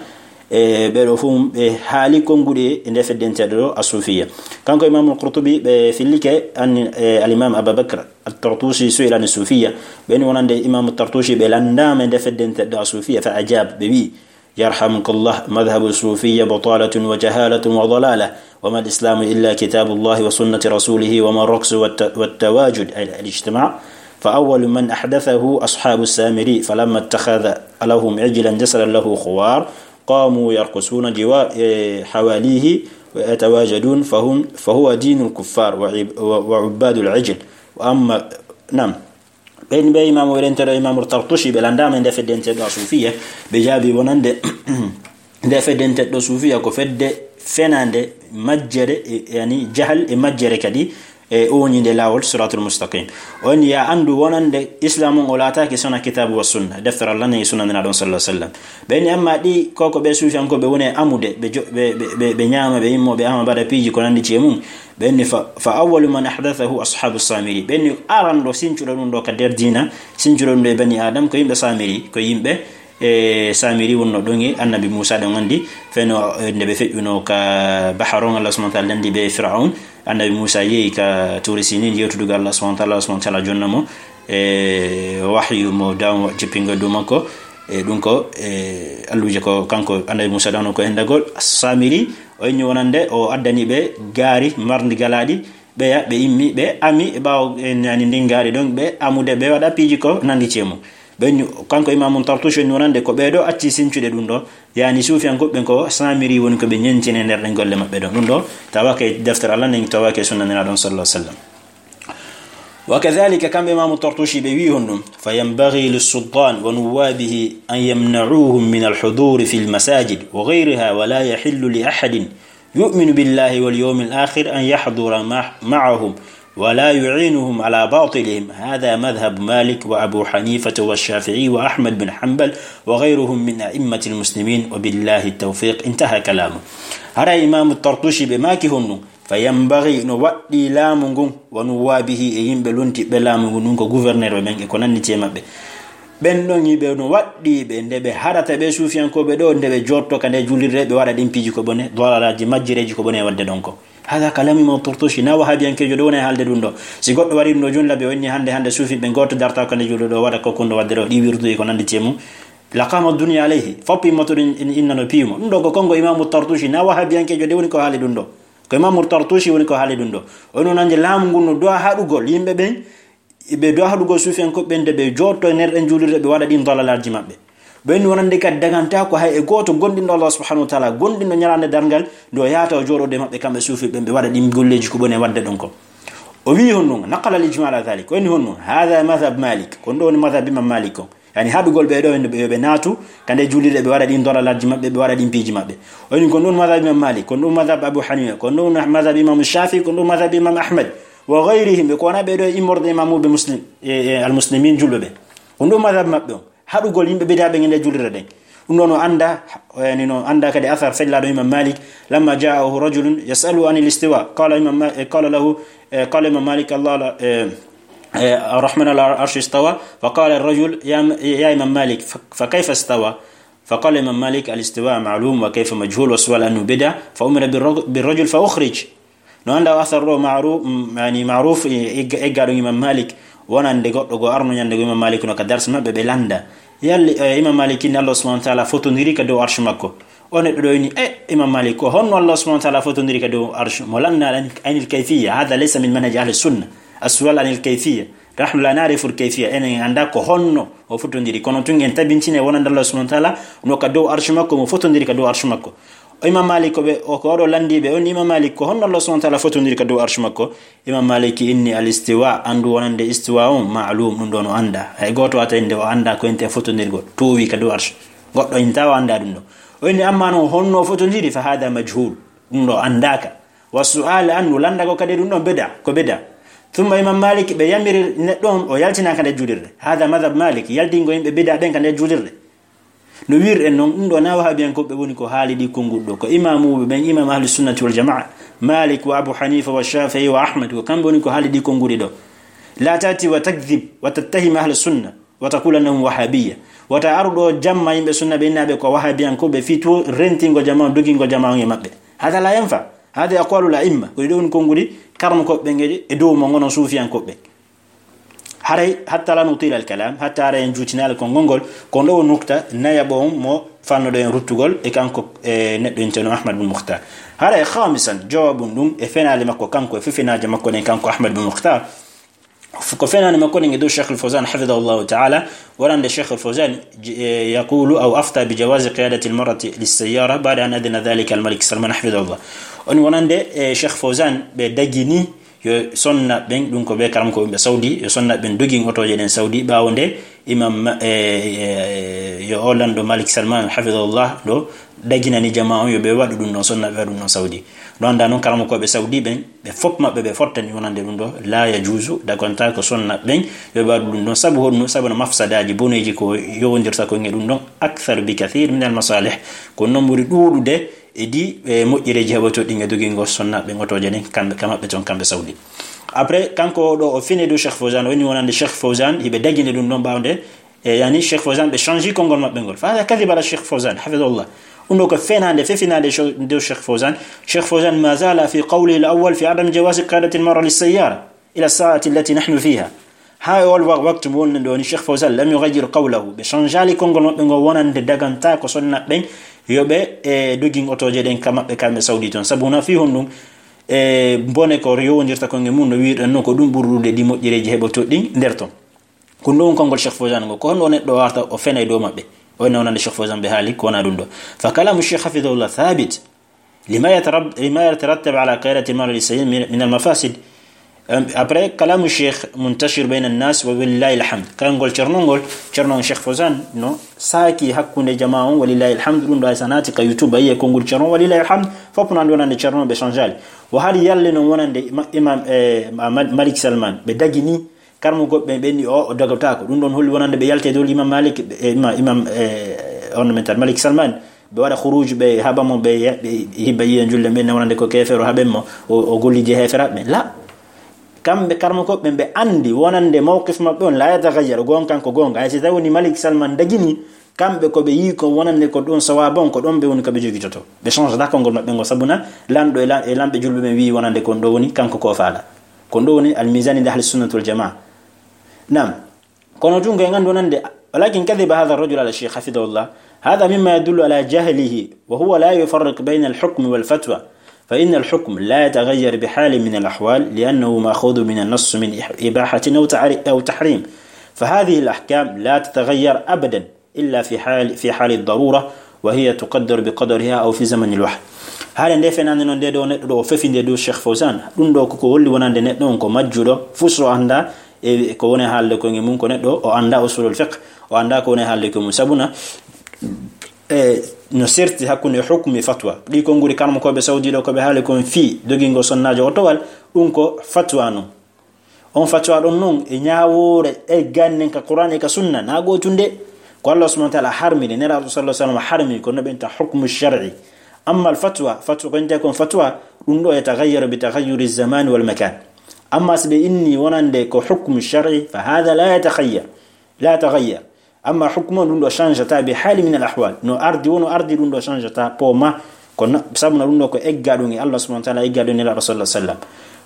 e, ɓe ɗo fof mum ɓe haali konnguɗi e nde feddenteeɗo ɗo a suufiya. Kanko Imaamu Qurtubi ɓe fillike an, e, al-Imam Aba Bakr at-Tartushi su'ila an suufiya, ɓe ni wonande Imaamu Tartushi ɓe lanndaama e nde feddenteeɗo a suufiya, fa ajab, ɓe wi'i, يرحمك الله، مذهب الصوفية بطالة وجهالة وضلالة، وما الإسلام إلا كتاب الله وسنة رسوله، وما الرقص والت-، والتواجد، أي الاجتماع، فأول من أحدثه أصحاب السامري، فلما اتخذ لهم عجلا جسدا له خوار، قاموا يرقصون جوا-، إيه، حواليه ويتواجدون، فهم، فهو دين الكفار وعب-، و-، وعباد العجل. وأما، نعم. Ɓen ɓe imaamu, ɓe rentero Imaamu Tartushi, ɓe lanndaama e nde feddenteeɗo a suufiya, ɓe jaabi wonande nde feddenteeɗo suufiya ko fedde fenaande, majjere, e, yani jahal e majjere kadi, e ooñinde laawol siraatul mustaqim. On ya anndu wonande Islaam on o laataaki sona kitaabu wa sunna, deftere Allah nden e sunna Nelaaɗo on sallallahu alaihi wasallam. Ɓe ni amma ɗi ko, ko ɓe suufiyankooɓe woni e amude, ɓe jo-, ɓe, ɓe, ɓe, ɓe ñaama, ɓe immo, ɓe ama, mbaɗa piiji ko nanndi ci e mum. Ɓen ni fa, fa awwalu man ahdathahu ashabu Samiri. Ɓen ni aranɗo sincuɗo ɗum ɗo ka nder diina, sincuɗo ɗum ɗo e bani Adam, ko yimɓe Samiri, ko yimɓe, e, Samiri wonno ɗon e Annabi Muusa, ɗon anndi feno, e, nde ɓe feƴƴuno ka bahar on, Allah subhanahu wa ta'ala danndi ɓe Fir'aun. Annabi Muusa yehi ka Tuuri Sinin yewtudugo Allah subhanahu wa ta'ala, Allah subhanahu wa ta'ala jonna mo, e, wahyu mo dawn jippingo dow makko. E, ɗum ko, e, alluuje ko kanko Annabi Muusa dawno ko hendagol Samiri. O inni wonande o addani ɓe gaari marndi galaaɗi, ɓeya, ɓe immi, ɓe ami e ɓaawo, e, nani ndin gaari ɗon, ɓe amude, ɓe waɗa piiji ko nanndi ci e mum. Ɓe inni, kanko Imaamu Tartushi inni wonande ko ɓee ɗo acci sincude ɗum ɗo, yani suufiyankooɓe ɓen ko Samiri woni ko ɓe ñentini e nder ɗen golle maɓɓe ɗon. Ɗum ɗo tawaaka e deftere Allah nden, tawaaka e sunna Nelaaɗo on sallallahu alaihi wasallam. Wa kadhalika, kamɓe Imaamu Tartushi ɓe wi'i honɗum, fa yanbaghi lissultan wa nuwabihi an yamna'uhum min alhuduri fi almasajid wa ghayriha, wa la yahillu li ahadin yu'minu billahi wal yawmil akhir an yahdura ma-, ma'ahum wa la yu'inuhum ala batilihim. Hadha madhhab Malik wa Abu Hanifa wa Shafi'i wa Ahmad bin Hanbal wa ghayruhum min a'immatil muslimin, wa billahi tawfiq. Intaha kalamu. Haray Imaamu Tartushi ɓe maaki honɗum, fa yanbaghi, no waɗɗii laamu ngun, wa nuwabihi, e yimɓe lontiɓɓe laamu ngun, ɗum ko gouverneur ɓe ɓen e ko nanndi ci e maɓɓe. Ɓen ɗon yimɓe no waɗɗii ɓe, nde ɓe haɗata ɓe suufiyankooɓe ɗo, nde ɓe jotto ka nde juulirde, ɓe waɗa ɗin piiji ko bone, dalalaaji, majjereeji ko bone e waɗde ɗon ko. Hada kalamu Imam Tartushi, na wahabiyankeejo ɗo woni e haalde ɗum ɗo. Si goɗɗo warii ɗum ɗo jooni, labi o inni hannde, hannde suufiɓe gooto darta ka nde juulirde ɗo, waɗa ko kunɗo waɗde ɗo, ɗi wirduji ko nanndi ci e mum. Laqama dunya alayhi, fop immoto ɗum in-, innano piimo. Ɗum ɗo ko kongo Imamu Tartushi, na wahabiyankejo de woni ko haali ɗum ɗo. Ko Imamu Tartushi woni ko haali ɗum ɗo. O no nanje laamu ngun no du'a haɗugol yimɓe ɓen, ɓe du'a haɗugol suufiyankoɓe ɓen de ɓe jotto e nder ɗen juulirde ɓe waɗa ɗin dalalaaji maɓɓe. Ɓen wonande kadi daganta ko hay e gooto gondinɗo Allah subhanahu wa ta'ala, gondinɗo ñalaande darngal, nde o yaata o jooɗoɗo e maɓɓe kamɓe suufi ɓen ɓe waɗa ɗin golleeji ko ɓone waɗde ɗon ko. O wi'i honno, naqala al ijma ala dhalik, o inni honno, hadha madhhab Malik, ko ɗo woni madhhab Imam Malik on. Yani haɗugol ɓe ɗo, yo ɓe naatu ka nde juulirde, ɓe waɗa ɗin dalalaaji maɓɓe, ɓe waɗa ɗin piiji maɓɓe. O inni, ko ɗum madhhab Imam Malik, ko ɗum madhhab Abu Hanifa, ko ɗum madhhab Imam Shafi, ko ɗum madhhab Imam Ahmad, wa ghayrihim, ɓe ko wona ɓe ɗo e immorde imamuɓe muslim, e, e al muslimin julɓe ɓe. Ko ɗum madhhab maɓɓe on. Haɗugol yimɓe bid'a ɓe e nde juulirde ɗen. Ɗum ɗon o annda, yani no annda kadi athar fellaaɗo Imam Malik, lamma ja'ahu rajulun yas'aluhu anil istiwa, qala Imam Ma-, eh, qala lahu, eh, qala Imam Malik, Allah la, eh, eh, Ar-Rahman ala arshi istawa, fa qala ar-rajul, ya, ya Imam Malik, fa, fa kayfa istawa? Fa qala Imam Malik, al istiwa ma'lum wa kayfa majhul, wa su'al anhu bid'a, fa umira bir rag-, bir rajul fa ukhrij. No annda o athar ɗo Ma'ruf, mm, yani Ma'ruf, e, egga-, eggaaɗo Imam Malik, wonande goɗɗo go arno ñande go Imam Malik no ka darsi maɓɓe ɓe landa. Yalli, eh, Imam Malik inni Allah subhanahu wa ta'ala fotondiri ka dow arsh makko. O neɗɗo ɗo inni, eh, Imam Malik, ko honno Allah subhanahu wa ta'ala fotondiri ka dow arsh? Mo lanna an-, anil kayfiyya, hadha laysa min manhaj ahli sunna. As-su'al anil kayfiyya. Nahnu la na'rifu al-kayfiyya. Enen en annda ko honno o fotondiri. Kono tun en tabintine wonande Allah subhanahu wa ta'ala no ka dow arsh makko, mo fotondiri ka dow arsh makko. O Imam Malik ko ɓe, o ko oɗo landiiɓe, on Imam Malik ko honno Allah subhanahu wa ta'ala fotondiri ka dow arsh makko? Imam Malik inni al istiwa, anndu wonande istiwa on, ma'lum, ɗum ɗo no annda. Hay gooto wata innde o annda ko ente fotondirgol, towi ka dow arsh. Goɗɗo inta o annda ɗum ɗo. O inni amma non honno fotondiri, fa hadha majhul. Ɗum ɗo anndaka. Wa su'al anhu, lannda ko kadi ɗum ɗon bid'a, ko bid'a. Thumma Imam Malik ɓe yamiri neɗɗo on, o yaltina ka nder juulirde. Hadha madhhab Malik, yaltingo yimɓe bid'a ɓen ka nder juulirde. No wiirɗen non, ɗum ɗo na wahabiyankoɓe woni ko haali ɗi konnguɗi ɗo. Ko imamuɓe ɓen, imam ahli sunnati wal jamaa, Malik wa Abu Hanifa wa Shafi'i wa Ahmad, ko kamɓe woni ko haali ɗi konnguɗi ɗo. La tati wa takdhib wa tattahim ahli sunna. Wata kulanahum wahabiyya. Wata aru ɗo jamma yimɓe sunna ɓe innaɓe ko wahabiyankoɓe fii to rentingo jama on, dogingo jama on e maɓɓe. Hada la yanfa. Hada aqwalul a'imma. Ko ɗi ɗo woni konnguɗi karmukoɓe ɓen e, e dow mo ngono suufiyankoɓe. Haray, hatta la nutila al kalam, hatta haray en juutinaali konngol ngol, ko ɗo woni nukta nayaɓo on mo fannoɗo en ruttugol e kanko, e neɗɗo inteno Ahmad bin Mukhtar. Haray khamisan, jawabun ɗum e fenaali makko kanko, e fefinaaje makko ɗen kanko Ahmad bin Mukhtar. Ko fenaande makko ɗen e dow Cheikh Al-Fawzan hafidahullahu ta'ala, wonande Cheikh Al-Fawzan, j-, eh, yaqulu aw afta bi jawazi qiyadati al-mar'ati lis-sayyara ba'da an adhina dhalika al-Malik Salman hafidahullah. On wonande, eh, Cheikh Fawzan ɓe dagini yo sonna ɓen, ɗum ko ɓe karam ko ɓe Saudi, yo sonna ɓen dogin otooje ɗen Saudi ɓaawo nde imam, eh, eh, yo o lanɗo Malik Salman hafidahullah ɗo daginani jama on yo ɓe waɗu ɗum ɗon, sonna ɓe waɗu ɗum ɗon Saudi. No annda noon karamokooɓe Saudi ɓen, ɓe fof maɓɓe ɓe fottani wonande ɗum ɗo, la yajuusu, dagonta ko sonna ɓen yo ɓe waɗu ɗum ɗon. Sabu honɗum? Sabu no mafsadaaji boneeji ko yowondirta ko e ɗum ɗon, akthar bi kathir min al masalih, ko noon ɓuri ɗuuɗude e ɗi, e moƴƴereeji heɓotooɗi e dogingol sonna ɓen otooje ɗen, kamɓe, ka maɓɓe toon, kamɓe Saudi. Après, kanko o ɗo o fini dow Cheikh Fawzan, o woni wonande Cheikh Fawzan, hiɓe daginde ɗum ɗon ɓaawde, E, yani, Cheikh Fawzan, ɓe change konngol maɓɓe ngol. Fa hada kadhib ala Cheikh Fawzan, hafidahullah. Ɗum ɗo ko fenaande, fefinaande sho-, dow Cheikh Fawzan. Cheikh Fawzan ma zala fi qawlihi al-awwal fi adam jawazi qiyadati al-mar'a lis-sayyara ila as-sa'ati allati nahnu fiha. Ha e ol wa-, waktu mo wonno ɗo ni, Cheikh Fawzan lam yughayyir qawlahu. Ɓe changeali konngol maɓɓe ngol wonande daganta ko sonna ɓen yo ɓe, e, dogin otooje ɗen ka maɓɓe kamɓe Saudi toon. Sabu na fi honɗum, e, bone ko yowondirta konngol mum no wiirɗen no ko ɗum ɓurɗude ɗi moƴƴereeji heɓotooɗi ɗin nder toon. Ko ɗum konngol Cheikh Fawzan ngo. Ko honno o neɗɗo warta o fena e dow maɓɓe? O ne wonande Cheikh Fawzan ɓe haali ko wona ɗum ɗo. Fa kalamu Cheikh hafidahullah thabit. Lima yatarab-, lima yatarattab ala qiyadati al-mar'a lis-sayyara min, min al-mafasid. Em, après, kalamu Cheikh muntashir bayna an-nas wa walillahi al-hamd. Kayngol Ceerno ngol, Ceerno Cheikh Fawzan no saaki hakkunde jama on, walillahi al-hamd. Ɗum ɗo ay sa naati ka YouTube, a yi'ay konngol Ceerno, walillahi al-hamd. Fof no anndi wonande Ceerno ɓe changeali. Wo hari yalle noon wonande ma-, imam, eh, ma-, Malik Salman, ɓe dagini Karmukoɓe ɓen ɓenni o, o dogotaako. Ɗum ɗon holli wonande ɓe yalti e dow Imam Malik, e Imam, Imam, e, on men tan Malik Salman. Ɓe waɗa khuruj, ɓe haɓa mo, ɓe, ɓe hibba yiya julde ɓen, wonande ko keefeero haɓen mo, o, o golliji heeferaaɓe ɓen. La. Kamɓe karmukoɓe ɓen ɓe anndi wonande mawqif maɓɓe on la yataghayyar, goonga kan ko goonga. Hay si tawi woni Malik Salman dagini, kamɓe ko ɓe yii ko wonande ko ɗum sawaaba on, ko ɗon ɓe woni ko ɓe jogitoto. Ɓe change daa konngol maɓɓe ngol, sabu na lanɗo e lan-, e lanɓe julɓe ɓen wi'i wonande ko ɗo woni kanko ko faala. Ko ɗo woni al-mizan inda ahli sunnati wal jamaa. Naam. Kono tun ko en anndu wonande ولكن كذب هذا الرجل على الشيخ حفظه الله. هذا مما يدل على جهله، وهو لا يفرق بين الحكم والفتوى، فإن الحكم لا يتغير بحال من الأحوال، لأنه مأخوذ من النص من إح-، إباحة أو تعري-، أو تحريم، فهذه الأحكام لا تتغير أبدا إلا في حال، في حال الضرورة، وهي تقدر بقدرها أو في زمن الوحي. Haala nde fenande noon, nde ɗo neɗɗo ɗo o fefi nde dow Cheikh Fawzan, ɗum ɗo koko holli wonande neɗɗo on ko majjuɗo, fus o annda e ko woni haalde ko e mum, ko neɗɗo o annda usulul fiqh, o annda ko woni haalde ko e mum. Sabuna, e, no serti hakkunde hukmi fatwa. Ɗi konnguli karmakooɓe Saudi ɗo ko ɓe haali kon fii dogingo sonnaajo o towal, ɗum ko fatwa non. On fatwa ɗon non e ñaawoore e gannen ka Qur'an e ka sunna, na gootunde. Ko Allah subhanahu wa ta'ala harmini, Nelaaɗo sallallahu alaihi wasallam harmini, ko no ɓenta hukmu shar'i. Amma al fatwa, fatwa ko innte kon fatwa, ɗum ɗo yataghayyaru bi taghayyuri zamani wal makan. Amma si ɓe inni wonande ko hukmu shar'i, fa hadha la yataghayyar, la yataghayyar. Amma hukmu on, ɗum ɗo change ta bi hali min al ahwal. No ardi, wono ardi, ɗum ɗo change ta po ma. Ko na-, sabu na ɗum ɗo ko egga ɗum e Allah subhanahu wa ta'ala, egga ɗum e Nelaaɗo sallallahu alaihi wasallam.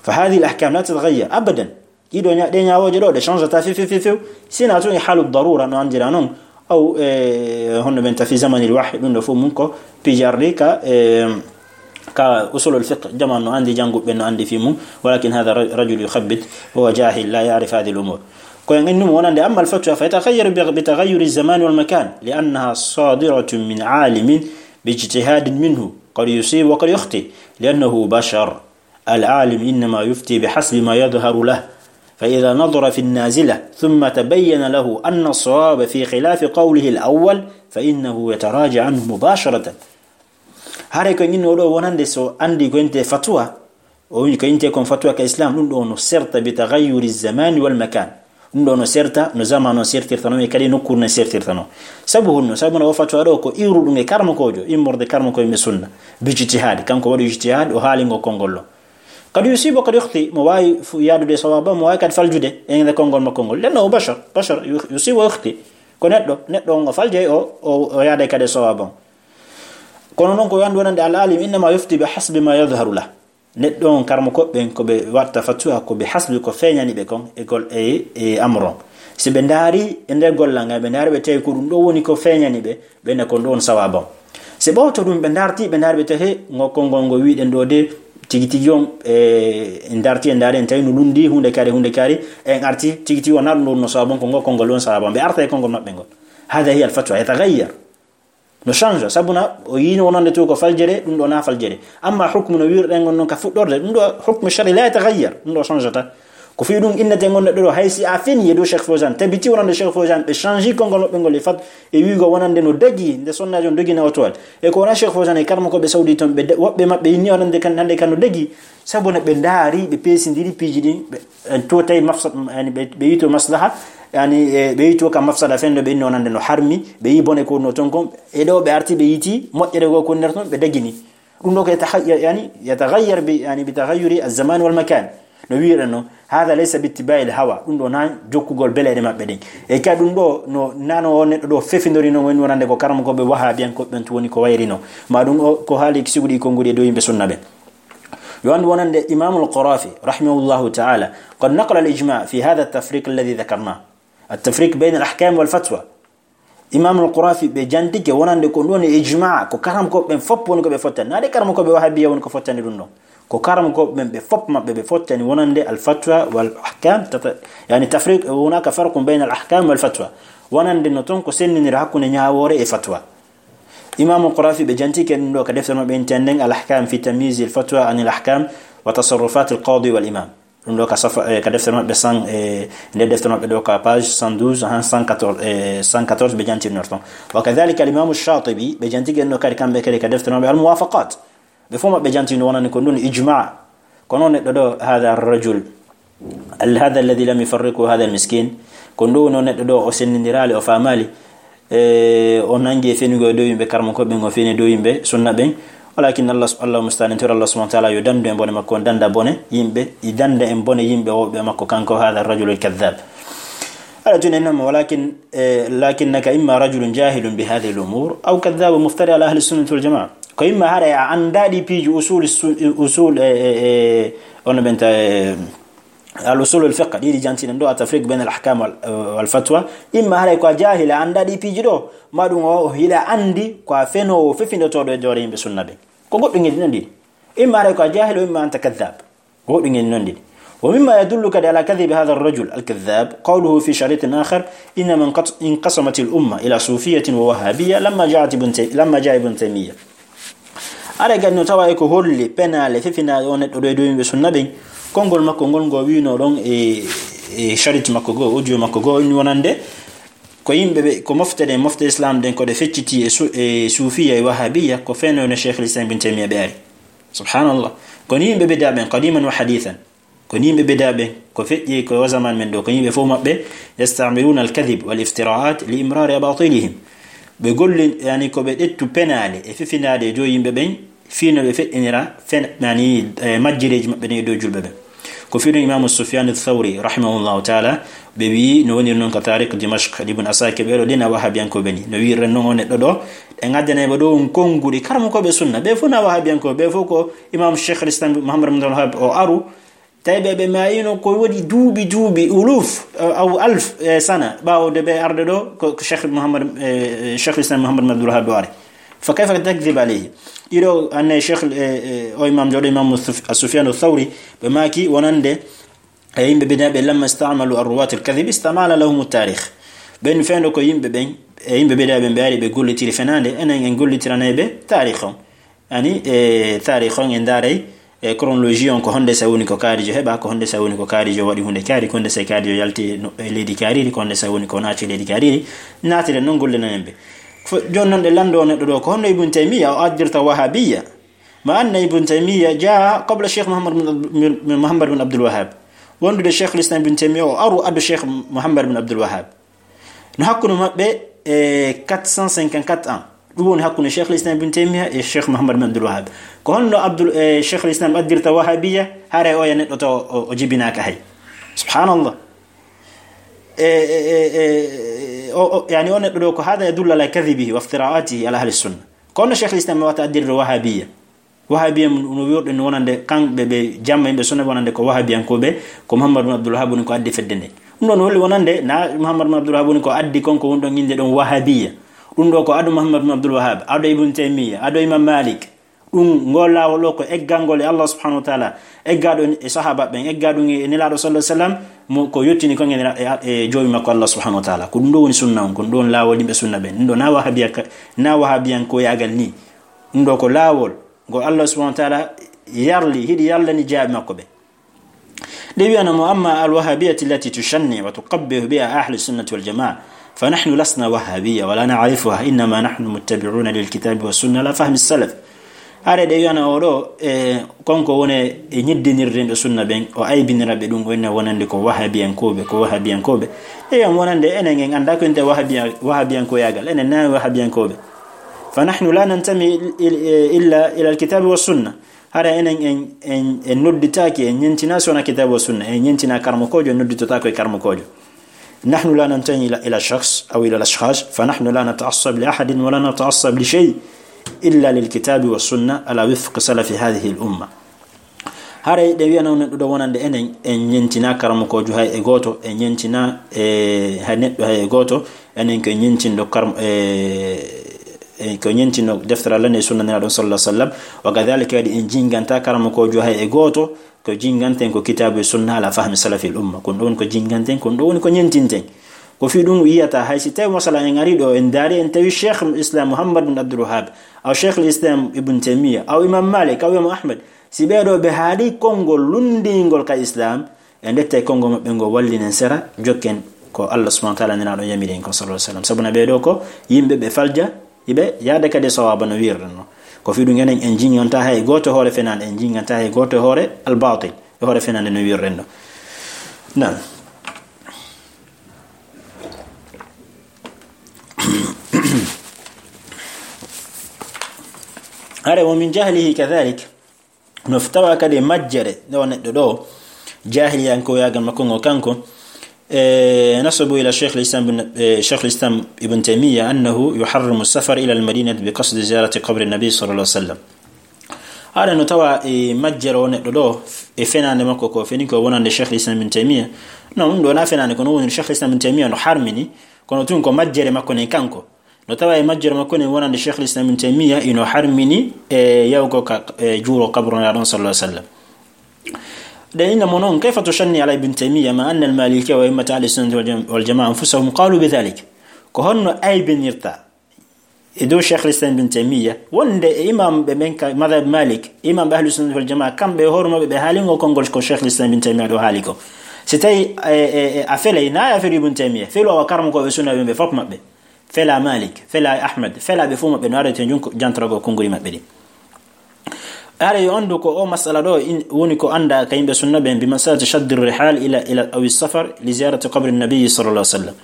Fa hadhihi al ahkam la tataghayyar abadan. Ɗiɗo ña-, ɗe ñaawooje ɗo, ɗe change ta few, few, few, few. Sina tun e halu darura no anndira non. Aw, e, honno ɓen tafi zamanil wahyi, ɗum ɗo fof mum ko pijarɗi ka, e, ka usulul fiqh, jaman no anndi, jannguɓe no anndi fii mum. Walakin hadha ra-, rajul yukhabbit, huwa jahil, la ya'rif hadhihi al umur. Ko en innum wonande, amma al fatwa fa yataghayyaru bi, bi taghayyuri zaman wal makan, li annaha sadiratun min alimin bi ijtihadin minhu, qad yusib wa qad yukhti, li annahu bashar. العالم إنما يفتي بحسب ما يظهر له، فإذا نظر في النازلة ثم تبين له أن الصواب في خلاف قوله الأول فإنه يتراجع عنه مباشرة. Hare ko en inno ɗo wonande so anndi ko inte fatwa, o wi ko inte kon fatwa ka Islam, ɗum ɗo no serta bi taghayyuri zamani wal makan. Ɗum ɗo no serta, no zamanu on sertirta non, e kadi nokkuure no sertirta non. Sabu honno? Sabu na o fatwa ɗo ko iwruɗum e karmakoojo, immorde karmakoojo ɓe sunna. Bi ijtihad, kanko waɗi ijtihad, o haali ngo konngol ɗo. Qad yusibu, qad yukhti, mo waawi fu-, yaadude e sawaaba, mo waawi kadi faljude e nder konngol makko ngol. Li'annahu bashar, bashar, yu-, yusibu wa yukhti. Ko neɗɗo, neɗɗo on o faljay, o, o, o yaaday kadi e sawaaba on. Kono noon ko wiyande wonande al alim innama yufti bi hasbi ma yadhharu lah. Neɗɗo on, karmakooɓe ɓen, ko ɓe watta fatwa ko bi hasbi ko feeñani ɓe kon e gol-, e, e amro on. Si ɓe ndaari e nder gollal ngal, ɓe ndaari ɓe tawi ko ɗum ɗo woni ko feeñani ɓe, ɓe ne ko ɗum ɗon sawaaba on. Si ɓawto ɗum ɓe ndaarti, ɓe ndaari ɓe tawi, he, ngo konngol ngo wiɗen ɗo de, tigi tigi on, e, en ndaarti, en ndaari, en tawi no lundi, huunde kaari, huunde kaari, en arti, tigi tigi on na ɗum ɗon no sawaaba on, ko ngo konngol ɗon sawaaba on. Ɓe arta e konngol maɓɓe ngol. Hada hiya al fatwa, yataghayyar. No change, sabu na o yiino wonande to ko faljere, ɗum ɗo na faljere. Amma hukmu no wirɗen on non ka fuɗɗorde, ɗum ɗo hukmu shari la yataghayyar, ɗum ɗo change ta. Ko fii ɗum innete ngon neɗɗo ɗo, hay si a feni e dow Cheikh Fawzan, tabiti wonande Cheikh Fawzan, ɓe change konngol maɓɓe ngol e fat, e wiigo wonande no dagi, nde sonnaajo on dogina o toal. E ko wona Cheikh Fawzan e karmakooɓe Saudi ton, ɓe de-, woɓɓe maɓɓe inni wonande kan, hande kan no dagi, sabu na ɓe ndaari, ɓe peesindiri piiji ɗin, ɓe en to tawi mafsad, yani ɓe, ɓe yito maslaha, yani, e, ɓe yito ka mafsada fen ɗo ɓe inni wonande no harmi, ɓe yi bone ko no ton kon, e ɗo ɓe arti ɓe yiti moƴƴere goo ko nder ton, ɓe dagini. Ɗum ɗo ko yataha-, yani, yataghayyar bi, yani, bi taghayyuri az-zaman wal makan. No wi'uɗen no, hada laysa bi ittiba'i al hawa, ɗum ɗo na jokkugol beleɗe maɓɓe ɗen. E ka ɗum ɗo no, nano o neɗɗo ɗo fefindori no woni wonande ko karamokooɓe wahabiyankooɓe ɓen to woni ko wayrino. Ma ɗum o, ko haali siguɗi konguɗi e dow yimɓe sunna ɓen. Yo anndu wonande Imamul Qarafi, rahimahullahu ta'ala, qad naqala al-ijma' fi hadha at-tafriq alladhi dhakarna. At-tafriq bayna al-ahkam wal fatwa. Imamul Qarafi ɓe jantike wonande ko ɗon e ijma', ko karamkooɓe ɓen fop woni ko ɓe fottani. Na de karamkooɓe wahabiya woni ko fottani ɗum ɗon. Ko karamkooɓe ɓen ɓe fop maɓɓe ɓe fottani wonande al-fatwa wal ahkam, tata-, yani tafriq, hunaka farqun bayna al-ahkam wal fatwa. Wonande no ton ko sendinira hakkunde ñaawoore e fatwa. Imamul Qarafi ɓe jantike ɗum ɗo ka deftere maɓɓe intenden Al-Ahkam fi Tamyiz al-Fatwa an al-Ahkam wa Tasarrufat al-Qadi wal Imam. Ɗum ɗo ka safa, eh, ka deftere maɓɓe cent, eh, nde deftere maɓɓe ɗo ka page cent douze, han cent quatorze, eh, cent quatorze ɓe jantirnor ton. Wa kadhalika al-Imam Shatibi ɓe jantike ɗum ɗo kadi kamɓe kadi ka deftere maɓɓe Al-Muwafaqat. Ɓe fof maɓɓe jantino wonani ko ɗum ijma'. Kono neɗɗo ɗo, hada rajul, al-, hada alladhi lam yufarriqu hada al-miskin, ko ndu woni o neɗɗo ɗo, o senndindiraali, o faamaali, e, o nanngi e fenugol e dow yimɓe karmakooɓe ɓen, o feni e dow yimɓe sunna ɓen. Walakin Allah, Allah mustaan, en tori Allah subhanahu wa ta'ala yo dandu en bone makko, on danda bone yimɓe, i danda en bone yimɓe wowɓe makko, kanko hada rajul al-kadhab. Ala tun en nama, walakin, e, lakinnaka imma rajulun jahilun bi hadhihi al-umur, aw kadhabun muftari ala ahli sunnati wal jamaa. Ko imma haɗa a anndaa ɗi piiji usul su-, usul e, e, e, ono ɓen ta, e, al-usul al-fiqh, ɗiɗi jantiɗen ɗo, at-tafriq bayna al-ahkam wal, wal fatwa. Imma haray ko a jahila, annda ɗi piiji ɗo, ma ɗum o, o hiɗa anndi ko a fenoowo fefindotooɗo e doore yimɓe sunna ɓen. Ko goɗɗum e ɗi non ɗiɗi. Imma haray ko a jahila, imma anta kadhab. Ko goɗɗum e ɗi non ɗiɗi. ومما يدل كذلك على كذب هذا الرجل الكذاب قوله في شريط آخر: إنما انقص-، انقسمت الأمة إلى صوفية ووهابية لما جاءت ابن تي-، لما جاء ابن تيمية. Aray kadi no tawa e ko holli penaale fefinaaɗe o neɗɗo ɗo e dow yimɓe sunna ɓen. Konngol makko ngol ngo wiino ɗon e, e sharit makko goo, audio makko goo, ni wonande ko yimɓe ɓe, ko mofte ɗen, mofte Islam ɗen, ko ɗe fecciti e su-, e suufiya e wahabiya, ko fenoowo no Cheikh Islam Ibn Taymiya ɓe ari. Subhanallah. Ko ni yimɓe bida ɓen, qadiman wa hadithan. Ko ni yimɓe bida ɓen, ko feƴƴi ko o zaman men ɗo, ko yimɓe fof maɓɓe, يستعملون الكذب والافتراءات لإمرار أباطيلهم. Ɓe golli, yani, ko ɓe ƴettu penaale e fefinaaɗe e dow yimɓe ɓen, fii no ɓe feƴƴinira fen-, yani, e majjireeji maɓɓe ɗin e dow julɓe ɓen. Ko fii ɗum Imaamu Sufyaan Thawri, rahimahullahu taala, ɓe wi'i, no woniri non ka Taarikh Dimashq, Ibn Asakir, ɓe ɗo ɗina wahabiyankooɓe ni. No wi'iren non o neɗɗo ɗo, ɓe ngaddanay ɓe ɗo on konnguɗi karamokooɓe sunna. Ɓe fof na wahabiyankooɓe, ɓe fof ko Imam Cheikh al-Islam Muhammad bin Abdul Wahhab o aru, tawi ɓe, ɓe maayino ko waɗi duuɓi, duuɓi, uluf, eh, aw alf, eh, sana, ɓaawo de ɓe arde ɗo, ko, ko Cheikh Muhammad, eh, Cheikh al-Islam Muhammad bin Abdul Wahhab ɗo ari. Fa kayfa takdhib alayhi? Ɗiɗo, anne Cheikh, eh, eh, o imam jooɗo, Imam Suf-, Sufyan Thawri, ɓe maaki wonande, e yimɓe bida ɓe, lamma istamalu arruwat al-kadhib, istamala lahum at-tarikh. Ɓen fendo ko yimɓe ɓen, e yimɓe bida ɓen ɓe ari ɓe gollitiri fenande, enen en gollitiranay ɓe taarikh on. Ani, e taarikh on e ndaaray, e chronologie on, ko honde sa woni ko kaarijo heɓa, ko honde sa woni ko kaarijo waɗi hunde kaari, ko honde sa kaarijo yalti no, e leydi kaariri, ko honde sa woni ko naati leydi kaariri, naatire non gollinanen ɓe. Fo-, jooni non ɗe lanndo neɗɗo ɗo, ko honno Ibn Taymiya o addirta wahabiya? Ma anna Ibn Taymiya jaa qabla Cheikh Muhammad bin Abd-, bin, bin Muhammad bin Abdul Wahhab. Wondude Cheikh l'Islam Ibn Taymiya o aru addu Cheikh Muhammad bin Abdul Wahhab. No hakkunde maɓɓe e quatre cent cinquante-quatre ans. Ɗum woni hakkunde Cheikh l'Islam Ibn Taymiya e Cheikh Muhammad bin Abdul Wahhab. Ko honno Abdul, e, Cheikh l'Islam addirta wahabiya, hare o ya neɗɗo taw o, o jibinaaka hay. Subhanallah. E, e, e, e, o, o, yani o neɗɗo ɗo ko hada yadullu ala kadhibihi wa iftira'atihi ala ahli sunna. Kono Cheikh l'Islam wata addirde wahabiya. Wahabiya no wi'orɗen wonande kamɓe ɓe jamma yimɓe sunna wonande ko wahabiyankooɓe, ko Muhammad bin Abdul Wahhab woni ko addi fedde nde. Ɗum ɗon holli wonande na Muhammad bin Abdul Wahhab woni ko addi kon ko woni ɗon innde ɗon wahabiya. Ɗum ɗo ko ado Muhammad bin Abdul Wahhab, ado Ibn Taymiya, ado Imam Malik. Ɗum ngol laawol ɗo ko eggangol e Allah subhanahu wa ta'ala, egga ɗum e sahaba ɓen, egga ɗum e Nelaaɗo sallallahu alaihi wasallam, mo ko yottini kon e, e, e joomi makko Allah subhanahu wa ta'ala. Ko ɗum ɗo woni sunna on, ko ɗum ɗo woni laawol yimɓe sunna ɓen. Ɗum ɗo na wahabiya ka-, na wahabiyankoyaagal ni. Ɗum ɗo ko laawol ngo Allah subhanahu wa ta'ala yarli, hiɗi yarlani jaaɓi makko ɓe. Ɗe wi'ana mo, أما الوهابية التي تشنع وتقبح بها أهل السنة والجماعة، فنحن لسنا وهابية ولا نعرفها، إنما نحن متبعون للكتاب والسنة على فهم السلف. Hare ɗe wi'ana o ɗo, e, konko woni e ñiddinirde ɓe sunna ɓen, o aybinira ɓe ɗum, o inna wonande ko wahabiyankooɓe, ko wahabiyankooɓe. E wi'an wonande enen en annda ko inte wahabiya-, wahabiyankoyaagal, enen na wahabiyankooɓe. فنحن لا ننتمي إل-، إل-، إلا إلى الكتاب والسنة. Hara enen en, en, en nodditaaki, en ñentina sona kitabu wa sunna, en ñentina karmokoojo, en nodditotaako e karmokoojo. نحن لا ننتمي إلى، إلى شخص أو إلى الأشخاص، فنحن لا نتعصب لأحد ولا نتعصب لشيء إلا للكتاب والسنة على وفق سلف هذه الأمة. Haray ɗe wi'ana on neɗɗo ɗo wonande enen, en ñentina karamokoojo hay e gooto, en ñentina, e, hay neɗɗo hay e gooto, enen ko ñentinɗo karam-, e, e, ko ñentinɗo deftere Allah e sunna Nelaaɗo sallallahu alaihi wasallam. Wa kadhalika kadi en jinganta karamokoojo hay e gooto, ko jinganten ko kitabu e sunna ala fahmi salafil umma. Kon ɗo woni ko jinganten, kon ɗo woni ko ñentinten. Ko fii ɗum yiyata hay si tawi masala en ari ɗo, en daari en tawi Cheikh Islam Muhammad bin Abdul Wahhab, aw Cheikh Islam Ibn Taymiya, aw Imam Malik, aw Imam Ahmad, si ɓee ɗo ɓe haali konngol lunndingol ka Islam, en ƴettay konngol maɓɓe ngol wallinen sera, jokken ko Allah subhanahu wa ta'ala Nelaaɗo yamiri en ko sallallahu alaihi wasallam. Sabu na ɓee ɗo ko yimɓe ɓe falja, iɓe yaada kadi e sawaaba no wi'irɗen no. Ko fii ɗum enen en jinganta hay gooto hoore fenande, en jinganta hay gooto hoore al-batil, e hoore fenande no wi'irɗen no. Naam. Hare ومن جهله كذلك, no tawa kadi majjere nde o neɗɗo ɗo, jahiliyankoyaagal makko ngo kanko, e, نسبوا إلى شيخ الإسلام بن، e, شيخ الإسلام ابن تيمية أنه يحرم السفر إلى المدينة بقصد زيارة قبر النبي صلى الله عليه وسلم. Haɗa no tawa e majjere o neɗɗo ɗo, e fenaande makko ko feni ko wonande Cheikh Islam bin Taymiya. Non, ɗum ɗo na fenaande, kono woni Cheikh Islam bin Taymiya no harmini, kono tun ko majjere makko nen kanko. No tawa e majjere makko nen wonande Cheikh Islam bin Taymiya, ino harmini e yawgo ka, e juuro kabru Nelaaɗo on sallallahu alaihi wasallam. Ɗen inna mo non, kayfa tushanni ala Ibn Taymiya ma anna al-Malikiyya wa a'immata ahli sunnati wal jam-, wal jamaa anfusahum qalu bi dhalik? Ko honno aybinirta e dow Cheikh Islam bin Taymiya, wonde e imam ɓe ɓen ka madhab Malik, imam ɓe ahli sunnati wal jamaa, kamɓe e hoore maɓɓe ɓe haalingo konngol ko Cheikh Islam bin Taymiya ɗo haali ko. Si tawi, e, e, e, a felay, na a feli Ibn Taymiya, felu awa karmo ko ɓe sunna ɓe, ɓe fof maɓɓe. Fela Malik, fela Ahmad, fela ɓe fof maɓɓe no arete junko jantorago konnguli maɓɓe ɗi. Haɗa yo anndu ko o masala ɗo in-, woni ko annda ka yimɓe sunna ɓen, bi masalati shaddi rihal ila, ila awi safar li ziyarati qabri nabi sallallahu alaihi wasallam.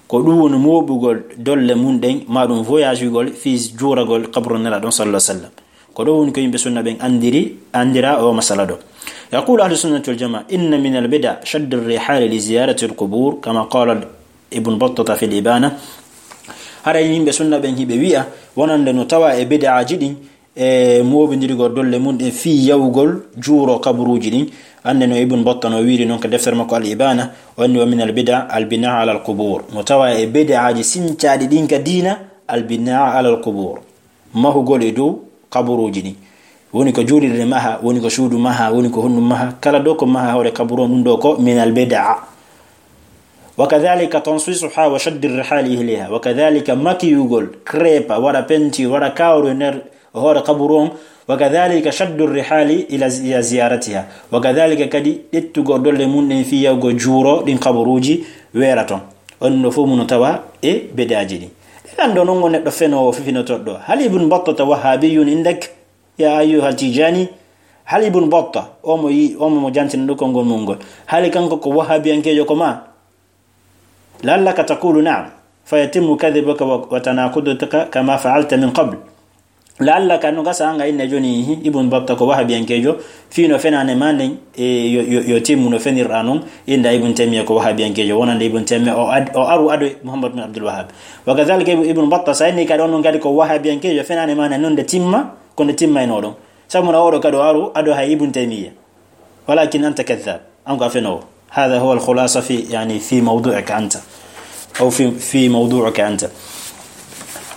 Ko ɗum woni mooɓugol dolle mun ɗen, ma ɗum voyagugol fii juuragol qabru Nelaaɗo on sallallahu alaihi wasallam. Ko ɗum woni ko yimɓe sunna ɓen anndiri, anndira o masala ɗo. Yaqulu ahlu sunnati wal jamaa, inna min al bida shaddi rihal li ziyarati al qubur, kama qala Ibn Battata fil Ibana. Haɗa yimɓe sunna ɓen hiɓe wi'a, wonande no tawa e bid'aaji ɗin, e mooɓindirgol dolle mun ɗen fii yawgol juuro kaburuuji ɗin. Annde no Ibn Battah no wiiri non ka deftere makko Al Ibana, o anni, wa min al bida al bina ala al qubur. No tawa e bid'aaji sincaaɗi ɗin ka diina, al bina ala al qubur. Mahugol e dow kaburuuji ɗin. Woni ko juulirde maha, woni ko suudu maha, woni ko honɗum maha, kala ɗo ko maha hoore kaburu on, ɗum ɗo ko min al bida. Wa kadhalika tansisuha wa shaddi rihali ilayha. Wa kadhalika makiyugol, krepa, waɗa penti, waɗa kawru e nder hoore kaburu on. Wa kadhalika shaddu rihali ila zi-, ila ziyaratiha. Wa kadhalika kadi ƴettugol dolle mun ɗen fii yawgo juuro ɗin kaburuuji weera ton. On no fof muno tawa e bedaaji ɗin. Ɗen lanndo non on neɗɗo fenoowo fifinotoɗo ɗo. Hal Ibn Battata wahhabiyun indak? Ya ayyuha Tijani, hal Ibn Battah, omo yi-, omo mo jantina ɗo konngol mun ngol, hali kanko ko wahabiyankeejo ko ma? La'allaka taqulu na'am, fa yatimmu kadhibuka wa, wa tanaquduka kama fa'alta min qabl. La'allaka, no gasa an ga inna joni, hi, Ibn Battah ko wahabiyankeejo, fii no fenaande ma nden, e, yo, yo, yo timmu no fenirɗa non, inda Ibn Taymiyyah ko wahabiyankeejo, wonande Ibn Taymiyyah o ad-, o aru ado Muhammad bin Abdul Wahhab. Wa kadhalika Ibn, Ibn Battah, sa inni kadi on non kadi ko wahabiyankeejo, fenaande ma nden non nde timma, ko nde timmayno ɗon. Sabu na oɗo kadi o aru ado hay Ibn Taymiyyah. Walakin anta kadhab. An ko a fenoowo. هذا هو الخلاصة في، يعني، في موضوعك أنت. أو في، في موضوعك أنت.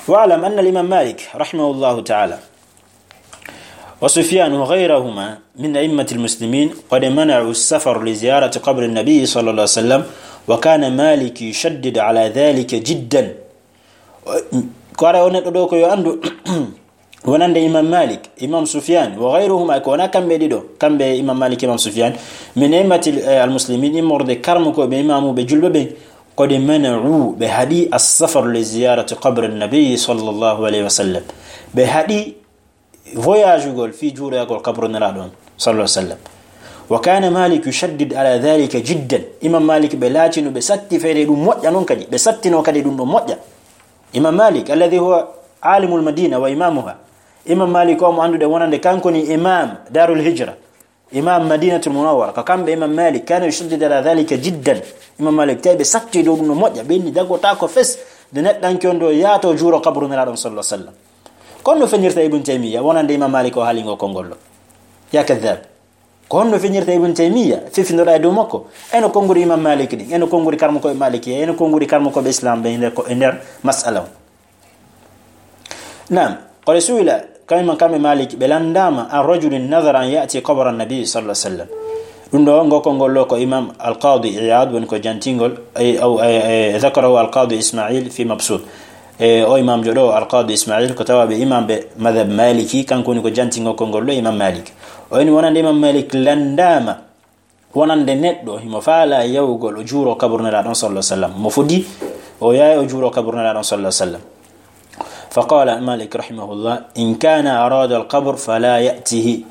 واعلم أن الإمام مالك رحمه الله تعالى وسفيان وغيرهما من أئمة المسلمين قد منعوا السفر لزيارة قبر النبي صلى الله عليه وسلم، وكان مالك يشدد على ذلك جدا. Ko ara o neɗɗo ɗo ko yo anndu, wonande Imam Malik, Imam Sufyan, wa ghayruhuma, ko wona kamɓe ɗiɗo, kamɓe Imam Malik, Imam Sufyan, min a'immati, eh, al-muslimin, immorde karmukoɓe, imamuɓe julɓe ɓen, qad mana'u, ɓe haɗi as-safar li ziyarati qabri nabi sallallahu alayhi wa sallam. Ɓe haɗi voyagugol fii juuroyagol kabru Nelaaɗo on, sallallahu alaihi wasallam. Wa kana Malik yushaddid ala dhalika jiddan. Imam Malik ɓe laatino ɓe satti feyde ɗum moƴƴa non kadi. Ɓe sattino kadi ɗum ɗon moƴƴa. Imam Malik, alladhi huwa alimul Madina wa imamuha. Imam Malik o mo annduɗen wonande kanko ni imam Darul Hijra. Imam Madinatul Munawwara. Ko kamɓe Imam Malik, kana yushaddid ala dhalika jiddan. Imam Malik tawi ɓe satti dow ɗum no moƴƴa. Ɓe inni dagotaako fes nde neɗɗanke on ɗo yaato juuro kabru Nelaaɗo on sallallahu alaihi wasallam. Ko honno fenirta Ibn Taymiyyah wonande Imam Malik o haalingo konngol ɗo? Ya kadhab. Ko honno fenirta Ibn Taymiyyah? Fifindoɗa e dow makko. Eno konnguri Imam Malik ɗin, eno konnguri karmukoɓe Malikiya, eno konnguri karmukoɓe Islam ɓe e nder ko, e nder mas'ala on. Naam, qad su'ila, kamɓe, kamɓe Malik ɓe landaama, an rajulin nadhara an ya'ti qabra nabi sallallahu alaihi wasallam. Ɗum ɗo, ngo konngol ɗo ko Imam Al-Qadi Iyad woni ko jantingol, ay, aw, ay, ay, dhakarahu Al-Qadi Ismail fi Mabsut. E, o imamjo ɗo, Al-Qadi Ismail, ko tawaɓe imam ɓe madhab Maliki, kanko woni ko jantingo konngol ɗo Imam Malik. O inni wonande Imam Malik landaama wonande neɗɗo himo faala yahugol o juuro kabru Nelaaɗo on sallallahu alaihi wasallam. Mo fodi o yahay o juuro kabru Nelaaɗo on sallallahu alaihi wasallam. Fa qala Malik rahimahullah, in kana arada al-qabr fala ya'tihi.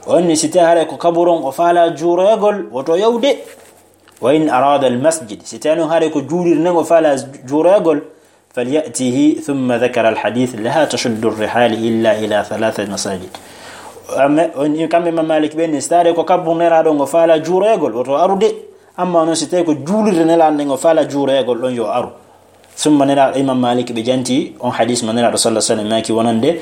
O inni si tawi haray ko kaburu on o faala juuroyagol, woto yahude. Wa in arada al-masjid, si tawi non haray ko juulirde nden o faala juuroyagol, falyatihi, thumma dhakara al-hadith, la tashaddu ar-rihal illa ila thalathati masajid. Amma on, kamɓe Imam Malik ɓe ni, si tawi ko kabru Nelaaɗo ngo faala juuroyagol, woto arude. Amma non si tawi ko juulirde Nelaaɗo ngo faala juuroyagol ɗon yo aru. Thumma Nelaaɗo, Imam Malik ɓe janti on hadith mo Nelaaɗo sallallahu alaihi wasallam maaki wonande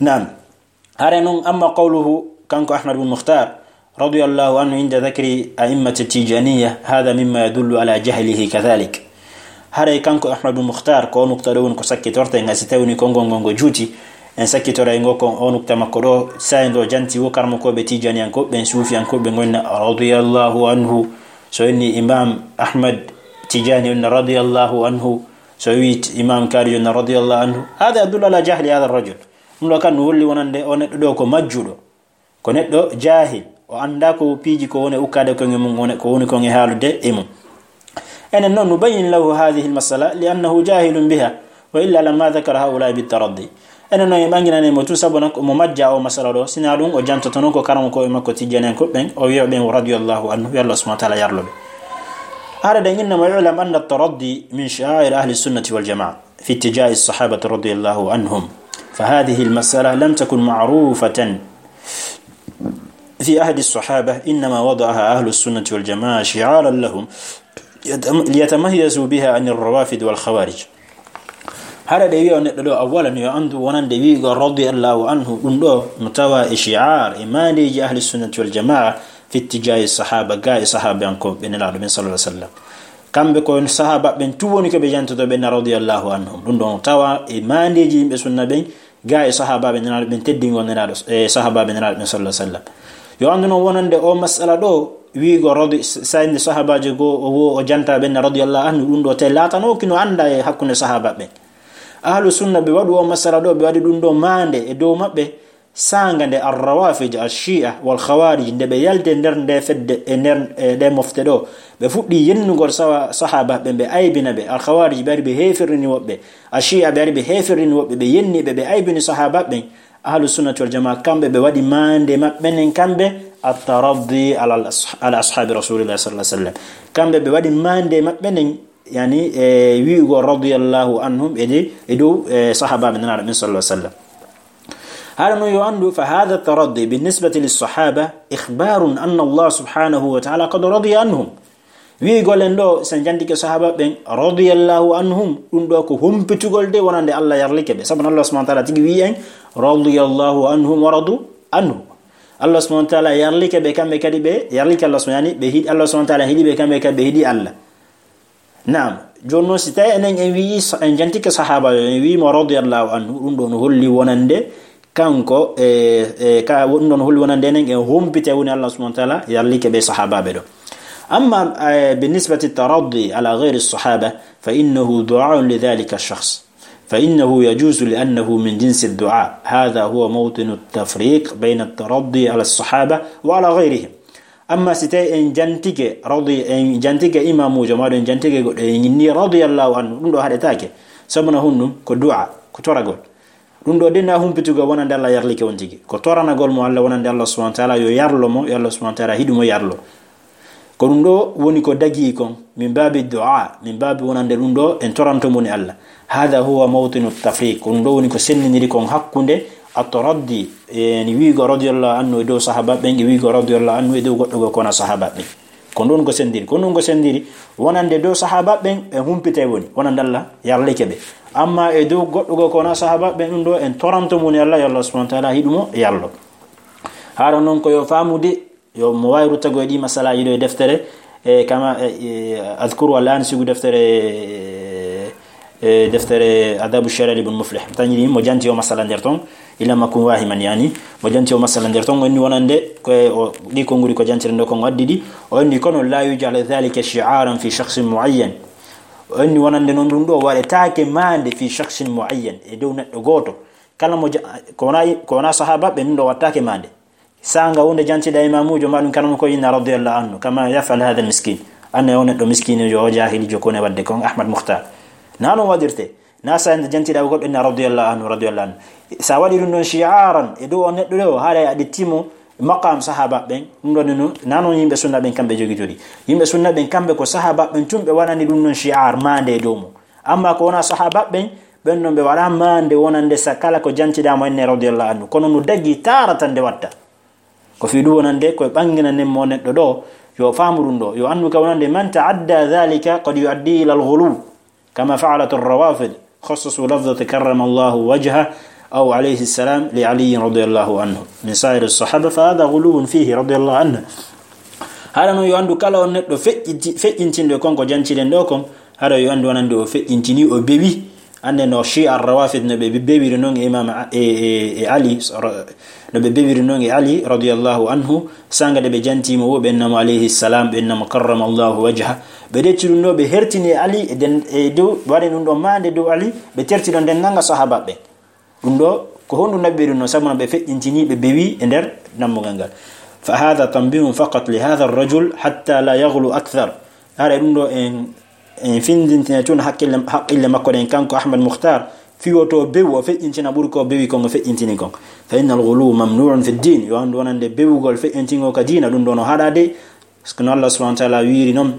Naam. Hare noon, amma qawluhu, kanko Ahmad bin Mukhtar, radiyallahu anhu, inda dhakri a'immati tijaniya, hadha mimma yadullu ala jahlihi kadhalik. Hare kanko Ahmad bin Mukhtar, ko o nukta ɗo woni ko sakkitorte, ngam si tawni konngol ngol ngo juuti, en sakkitoray ngo kon o nukta makko ɗo, sa'i ndo janti wo karmokooɓe tijaniyankooɓe ɓen, suufiyankooɓe ɓen, wonna radiyallahu anhu. So inni Imam Ahmad Tijani, wonna radiyallahu anhu. So wi Imam Kari, wonna radiyallahu anhu. Hadha yadullu ala jahli hadha ar-rajul. Ɗum ɗo kan no holli wonande o neɗɗo ɗo ko majjuɗo. Ko neɗɗo jaahil, o anndaa ko piiji ko woni e ukkaade koŋŋe mum, woni ko woni kon e haalude e mum. Enen noon, nubayyin lahu hadhihi al-mas'ala li annahu jahilun biha, wa illa lamma dhakara haula'i bit-taraddi. Enen noon, en ɓanginanay mo tun, sabu noon ko mo majja o masala ɗo, sinaa ɗum o jantotono ko karamokooɓe makko tijjaniyankooɓe ɓen, o wi'a ɓen radiyallahu anhu, yo Allah subhanahu wa ta'ala yarlo ɓe. Haɗa ɗen inna mo, i'lam anna at-taraddi min sha'air ahli sunnati wal jama'a. في اتجاه الصحابة رضي الله عنهم، فهذه المسألة لم تكن معروفة في عهد الصحابة، إنما وضعها أهل السنة والجماعة شعارا لهم يتم-، ليتميزوا بها عن الروافض والخوارج. Hara ɗe wi'a neɗɗo ɗo, awwalan yo anndu wonande wi'ugol radiyallahu anhu, ɗum ɗo no tawa e shi'ar, e maandeeji ahli sunnati wal jamaa, fi ittijaahi sahaba, gaa e sahabankooɓe Nelaaɗo men sallallahu alaihi wasallam. Kamɓe ko sahaaba ɓen tun woni ko ɓe jantoto ɓen na radiyallahu anhum. Ɗum ɗon tawa e maandeeji yimɓe sunna ɓen, gaa e sahaabaaɓe Nelaaɗo ɓen, teddingol Nelaaɗo, e sahaabaaɓe Nelaaɗo ɓen sallallahu alaihi wasallam. Yo anndu noon wonande o masala ɗo, wi'ugol radi-, s-, sayndi sahaabaajo goo o wo o janta ɓen na radiyallahu anhu, ɗum ɗo te laatanooki no annda e hakkunde sahaaba ɓen. Ahlu sunna ɓe waɗu o masala ɗo, ɓe waɗi ɗum ɗo maande e dow maɓɓe, saanga nde Ar-Rawafid, Ash-Shi'a wal Khawarij, nde ɓe yalti e nder nde fedde, e nder, e ɗe mofte ɗo, ɓe fuɗɗi yennugol sawa-, sahaaba ɓen, ɓe aybina ɓe. Al Khawarij ɓe ari ɓe heefirini woɓɓe, Ash-Shi'a ɓe ari ɓe heefirini woɓɓe, ɓe yenni ɓe, ɓe aybini sahaaba ɓen. Ahlu Sunnati wal Jamaa, kamɓe ɓe waɗi maande maɓɓe nden, kamɓe at-taraddi ala al-, ala ashaabi Rasulillah sallallahu alaihi wasallam. Kamɓe ɓe waɗi maande maɓɓe nden, yani, e wi'ugol radiyallahu anhum e de-, e dow, e sahaaba ɓe Nelaaɗo men sallallahu alaihi wasallam. Hara noon yo anndu, fa hadha taraddi bi nisbati lis sahaba ikhbarun anna Allah subhanahu wa ta'ala qad radiya anhum. Wi'ugol en ɗo, sen jantike sahaaba ɓen radiyallahu anhum, ɗum ɗo ko humpitugol de wonande Allah yarlike ɓe. Sabu Allah subhanahu wa ta'ala tigi wi'i en, radiyallahu anhum wa radu anhu. Allah subhanahu wa ta'ala yarlike ɓe, kamɓe kadi ɓe yarlike Allah subhanahu, yani ɓe hiɗi Allah subhanahu wa ta'ala, hiɗi ɓe, kamɓe kadi ɓe hiɗi Allah. Naam, jooni noon, si tawi enen en wi'i sa-, en jantike sahaaba yo, en wi'i mo radiyallahu anhu, ɗum ɗo no holli wonande kanko, e, e, ka, ɗum ɗo no holli wonande enen en humpite woni Allah subhanahu wa ta'ala yarlike ɓe sahaabaaɓe ɗo. Amma, e, bi nisbati taraddi ala ghayri sahaba, fa innahu du'aun li dhalika shakhs. Fa innahu yajuzu li annahu min jinsi du'a. Hadha huwa mawtinu tafriq bayna taraddi ala sahaba wa ala ghayrihim. Amma si tawi en jantike radi-, en jantike imamuujo, maa ɗum en jantike goɗɗo, en inni radiyallahu anhu, ɗum ɗo haɗetaake. Sabu na honɗum? Ko du'a, ko toragol. Ɗum ɗo de na humpitugol wonande Allah yarlike on tigi. Ko toranagol mo Allah wonande Allah subhanahu wa ta'ala yo yarlo mo, yo Allah subhanahu wa ta'ala hiɗu mo yarlo. Ko ɗum ɗo woni ko dagi kon, min babi du'a, min babi wonande ɗum ɗo en toranto mo ni Allah. Hada huwa mawtinu tafriq. Ko ɗum ɗo woni ko sendindiri kon hakkunde at-taraddi, e ni wiigo radiyallahu anhu e dow sahaba ɓen, e wiigo radiyallahu anhu e dow goɗɗo go kona sahaba ɓen. Ko ɗum ko sendiri, ko ɗum ko sendiri. Wonande dow sahaba ɓen ɓe humpitay woni, wonande Allah yarlike ɓe. Amma e dow goɗɗo go kona sahaba ɓen ɗum ɗo en toranto mo ni Allah, yo Allah subhanahu wa ta'ala hiɗu mo yarlo. Haɗa noon ko yo faamude, yo mo waawi ruttago e ɗi masalaji ɗo e deftere, e kama, e, e, adkuru al'an sigu deftere, e, e, deftere Adabu Shari'a Ibn Muflih. Tañiri mo janti o masala nder ton, ila makkum wahiman yani. Mo janti o masala nder ton, o inni wonande, ko e, o, ɗi konguɗi ko jantire ndo kon o addi ɗi, o inni kono la yuj'al dhalika shi'aran fi shakhsin mu'ayyan. O inni wonande noon ɗum ɗo waɗetaake maande fi shakhsin mu'ayyan, e dow neɗɗo gooto. Kala mo ja-, ko wona, ko wona sahaba ɓe ɗum ɗo wattaake maande. Sanga wonde jantiɗa imamujo ma ɗum kanamo ko inna radiyallahu anhu, kama yaf'al hadha miskin. Anne o neɗɗo miskinijo, o jahilijo ko ne wadde kon Ahmad Mukhtar. Na non waɗirte. Na sa ende jantiɗa goɗɗo inna radiyallahu anhu, radiyallahu anhu. Sa waɗi ɗum ɗon shi'aran e dow on neɗɗo ɗo, haray a ɗittimo maqam sahaba ɓen. Ɗum ɗon no, na non yimɓe sunna ɓen kamɓe jogitori. Yimɓe sunna ɓen kamɓe ko sahaba ɓen tun ɓe waɗani ɗum ɗon shi'ar maande e dow mo. Amma ko wona sahaba ɓen, ɓen non ɓe waɗa maande wonande sa kala ko jantiɗa mo inna radiyallahu anhu. Kono no dagi taratan nde watta. Ko fii ɗum wonande ko e ɓanginanen mo neɗɗo ɗo, yo faamu ɗum ɗo, yo anndu ka wonande man ta'adda dhalika qad yu'addi ila al-ghuluw, kama fa'alat ar-rawafid, khassasu lafzata karrama Allahu wajha aw alayhi salam li Ali radiyallahu anhu min sa'iri as-sahaba, fa hadha ghuluwun fihi radiyallahu anhu. Haɗa non yo anndu kala on neɗɗo feƴƴinti-, feƴƴintinɗo kon ko janciɗen ɗo kon, haɗa yo anndu wonande o feƴƴintini, o bewi. Annde no Shia Rawafid no ɓe be-, bewiri non e Imam A-, e, e, e Ali, no ɓe bewiri non e Ali radiyallahu anhu, sanga de ɓe janti mo wo ɓe innamo alayhi salam, ɓe innamo karrama Allahu wajha. Ɓe ɗetti ɗum ɗo, ɓe hertini e Ali, e den, e dow, ɓe waɗi ɗum ɗo maande dow Ali, ɓe terti ɗon denndaangal sahabaɓe. Ɗum ɗo, ko honɗum naɓi ɓe ɗum ɗo? Sabu no ɓe feƴƴintini, ɓe bewi e nder dammugal ngal. Fa hadha tanbihun faqat li hadha ar-rajul hatta la yaghlu akthar. Haray ɗum ɗo en, en findintina tun haqqille, haqqille makko ɗen, kanko Ahmad Mukhtar, fii woto bewu o feƴƴintina ɓuri ko bewi kon o feƴƴintini kon. Fa innal ghuluw mamnu'un fi ddin. Yo anndu wonande bewugol feƴƴintingol ka diina, ɗum ɗo no haɗaade. Parce que no Allah subhanahu wa ta'ala wiiri non,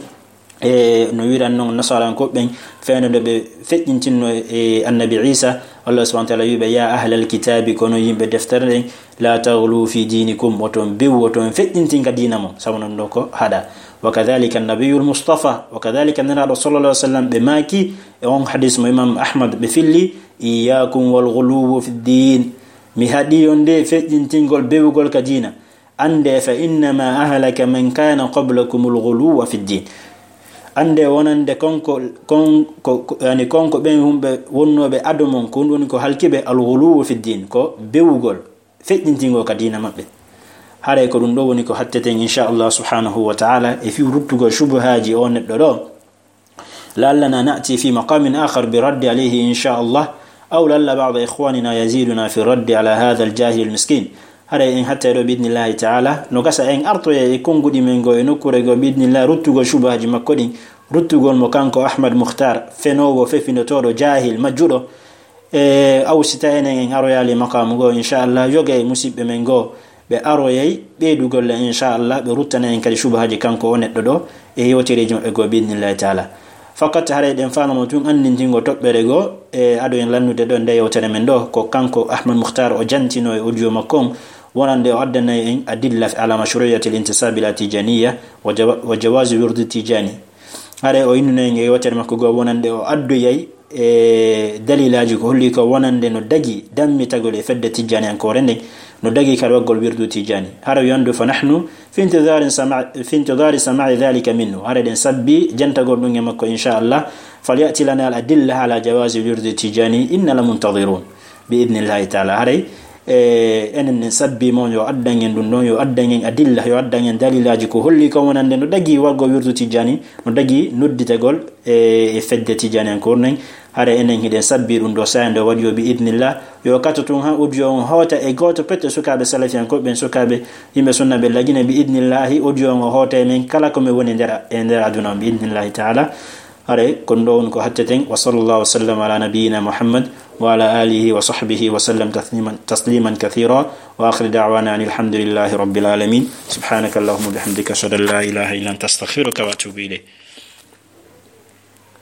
e no wiiran non Nasarankooɓe ɓen, fewndo nde ɓe feƴƴintinno e Annabi Isa, Allah subhanahu wa ta'ala wi'i ɓe, "Ya ahlal kitabi, kono yimɓe deftere ɗen, la taghlu fi dinikum, woton bewu, woton feƴƴintin ka diina mon, sabu non ɗo ko haɗa." Wa kadhalika Nabiyul Mustafa, wa kadhalika Nelaaɗo sallallahu alaihi wasallam, ɓe maaki e on hadis mo Imam Ahmad ɓe filli, "Iyyakum wal ghuluwwa fi ddin." Mi haɗi on nde feƴƴintingol bewugol ka diina. Annde, "Fa innama ahlaka man kana qablakumul ghuluwwa fi ddin." Annde wonande konko, kon-, ko, ko, yani konko ɓen humɓe wonnooɓe ado mon, ko ɗum woni ko halki ɓe, al ghuluwwu fi ddin, ko bewugol, feƴƴintingol ka diina maɓɓe. Haray ko ɗum ɗo woni ko hatteten, insha Allah subhanahu wa ta'ala, e fii ruttugol shubuhaaji o neɗɗo ɗo. لعلنا نأتي في مقام آخر بالرد عليه إن شاء الله، أو لعل بعض إخواننا يزيدنا في الرد على هذا الجاهل المسكين. Haray en hattay ɗo, bi idnillahi ta'ala. No gasa en artoya e konnguɗi men goo e nokkuure goo, bi idnillahi, ruttugol shubuhaaji makko ɗin, ruttugol mo kanko Ahmad Mukhtar, fenoowo, fefindotooɗo, jaahil, majjuɗo. E, aw si tawi enen en aroyaali maqaamu goo, insha Allah, yoga e musiɓɓe men goo, ɓe aroyay ɓeydugol en, insha Allah, ɓe ruttana en kadi shubuhaaji kanko o neɗɗo ɗo e yewtereeji maɓɓe goo, bi idnillahi ta'ala. Fakat haray ɗen faanamo tun anndintingo toɓɓere goo, e ado en lannude ɗo nde yewtere men ɗo, ko kanko Ahmad Mukhtar o jantino e audio makko on, wonande o addanay en adilla ala mashru'iyyati al-intisab ila Tijaniya wa jawa-, wa jawazi wirdi Tijani. Haray o innunay en e yewtere makko goo wonande o addoyay e dalilaaji ko holli ko wonande no dagi dammitagol e fedde tijjaniyankoore nden, no dagi kadi waggol wirdu tijjani. Hara yo anndu, "Fa nahnu fi intidhari sama-, fi intidhari sama'i dhalika minhu." Hara eɗen sabbi jantagol ɗum e makko, insha Allah. "Fal ya'ti lana al adilla ala jawazi wirdu tijjani, inna la muntadirun." Bi idnillahi ta'ala. Haray, e, enen en sabbi mo, yo addan en ɗum ɗon, yo addan en adilla, yo addan en dalilaaji ko holli ko wonande no dagi waggol wirdu tijjani, no dagi nodditagol e, e fedde tijjaniyankoore nden. Hara enen hiɗen sabbi ɗum ɗo, saaya nde waɗi o, bi idnillah. Yo kato tun ha audio on hoota e gooto pette sukaaɓe salafiyankooɓe ɓen, sukaaɓe yimɓe sunna ɓe lagine, bi idnillahi, audio on o hoota e men kala ko men woni nder, e nder aduna on, bi idnillahi ta'ala. Hare kon ɗo on ko hatteten. Wa sallallahu wa sallam ala nabiyyina Muhammad wa ala alihi wa sahbihi wa sallam tasliman, tasliman kathira. Wa akhir da'wana anil hamdulillahi rabbil alamin. Subhanaka Allahumma bihamdika, ashhadu an la ilaha illa anta, astaghfiruka wa atubu ilayk.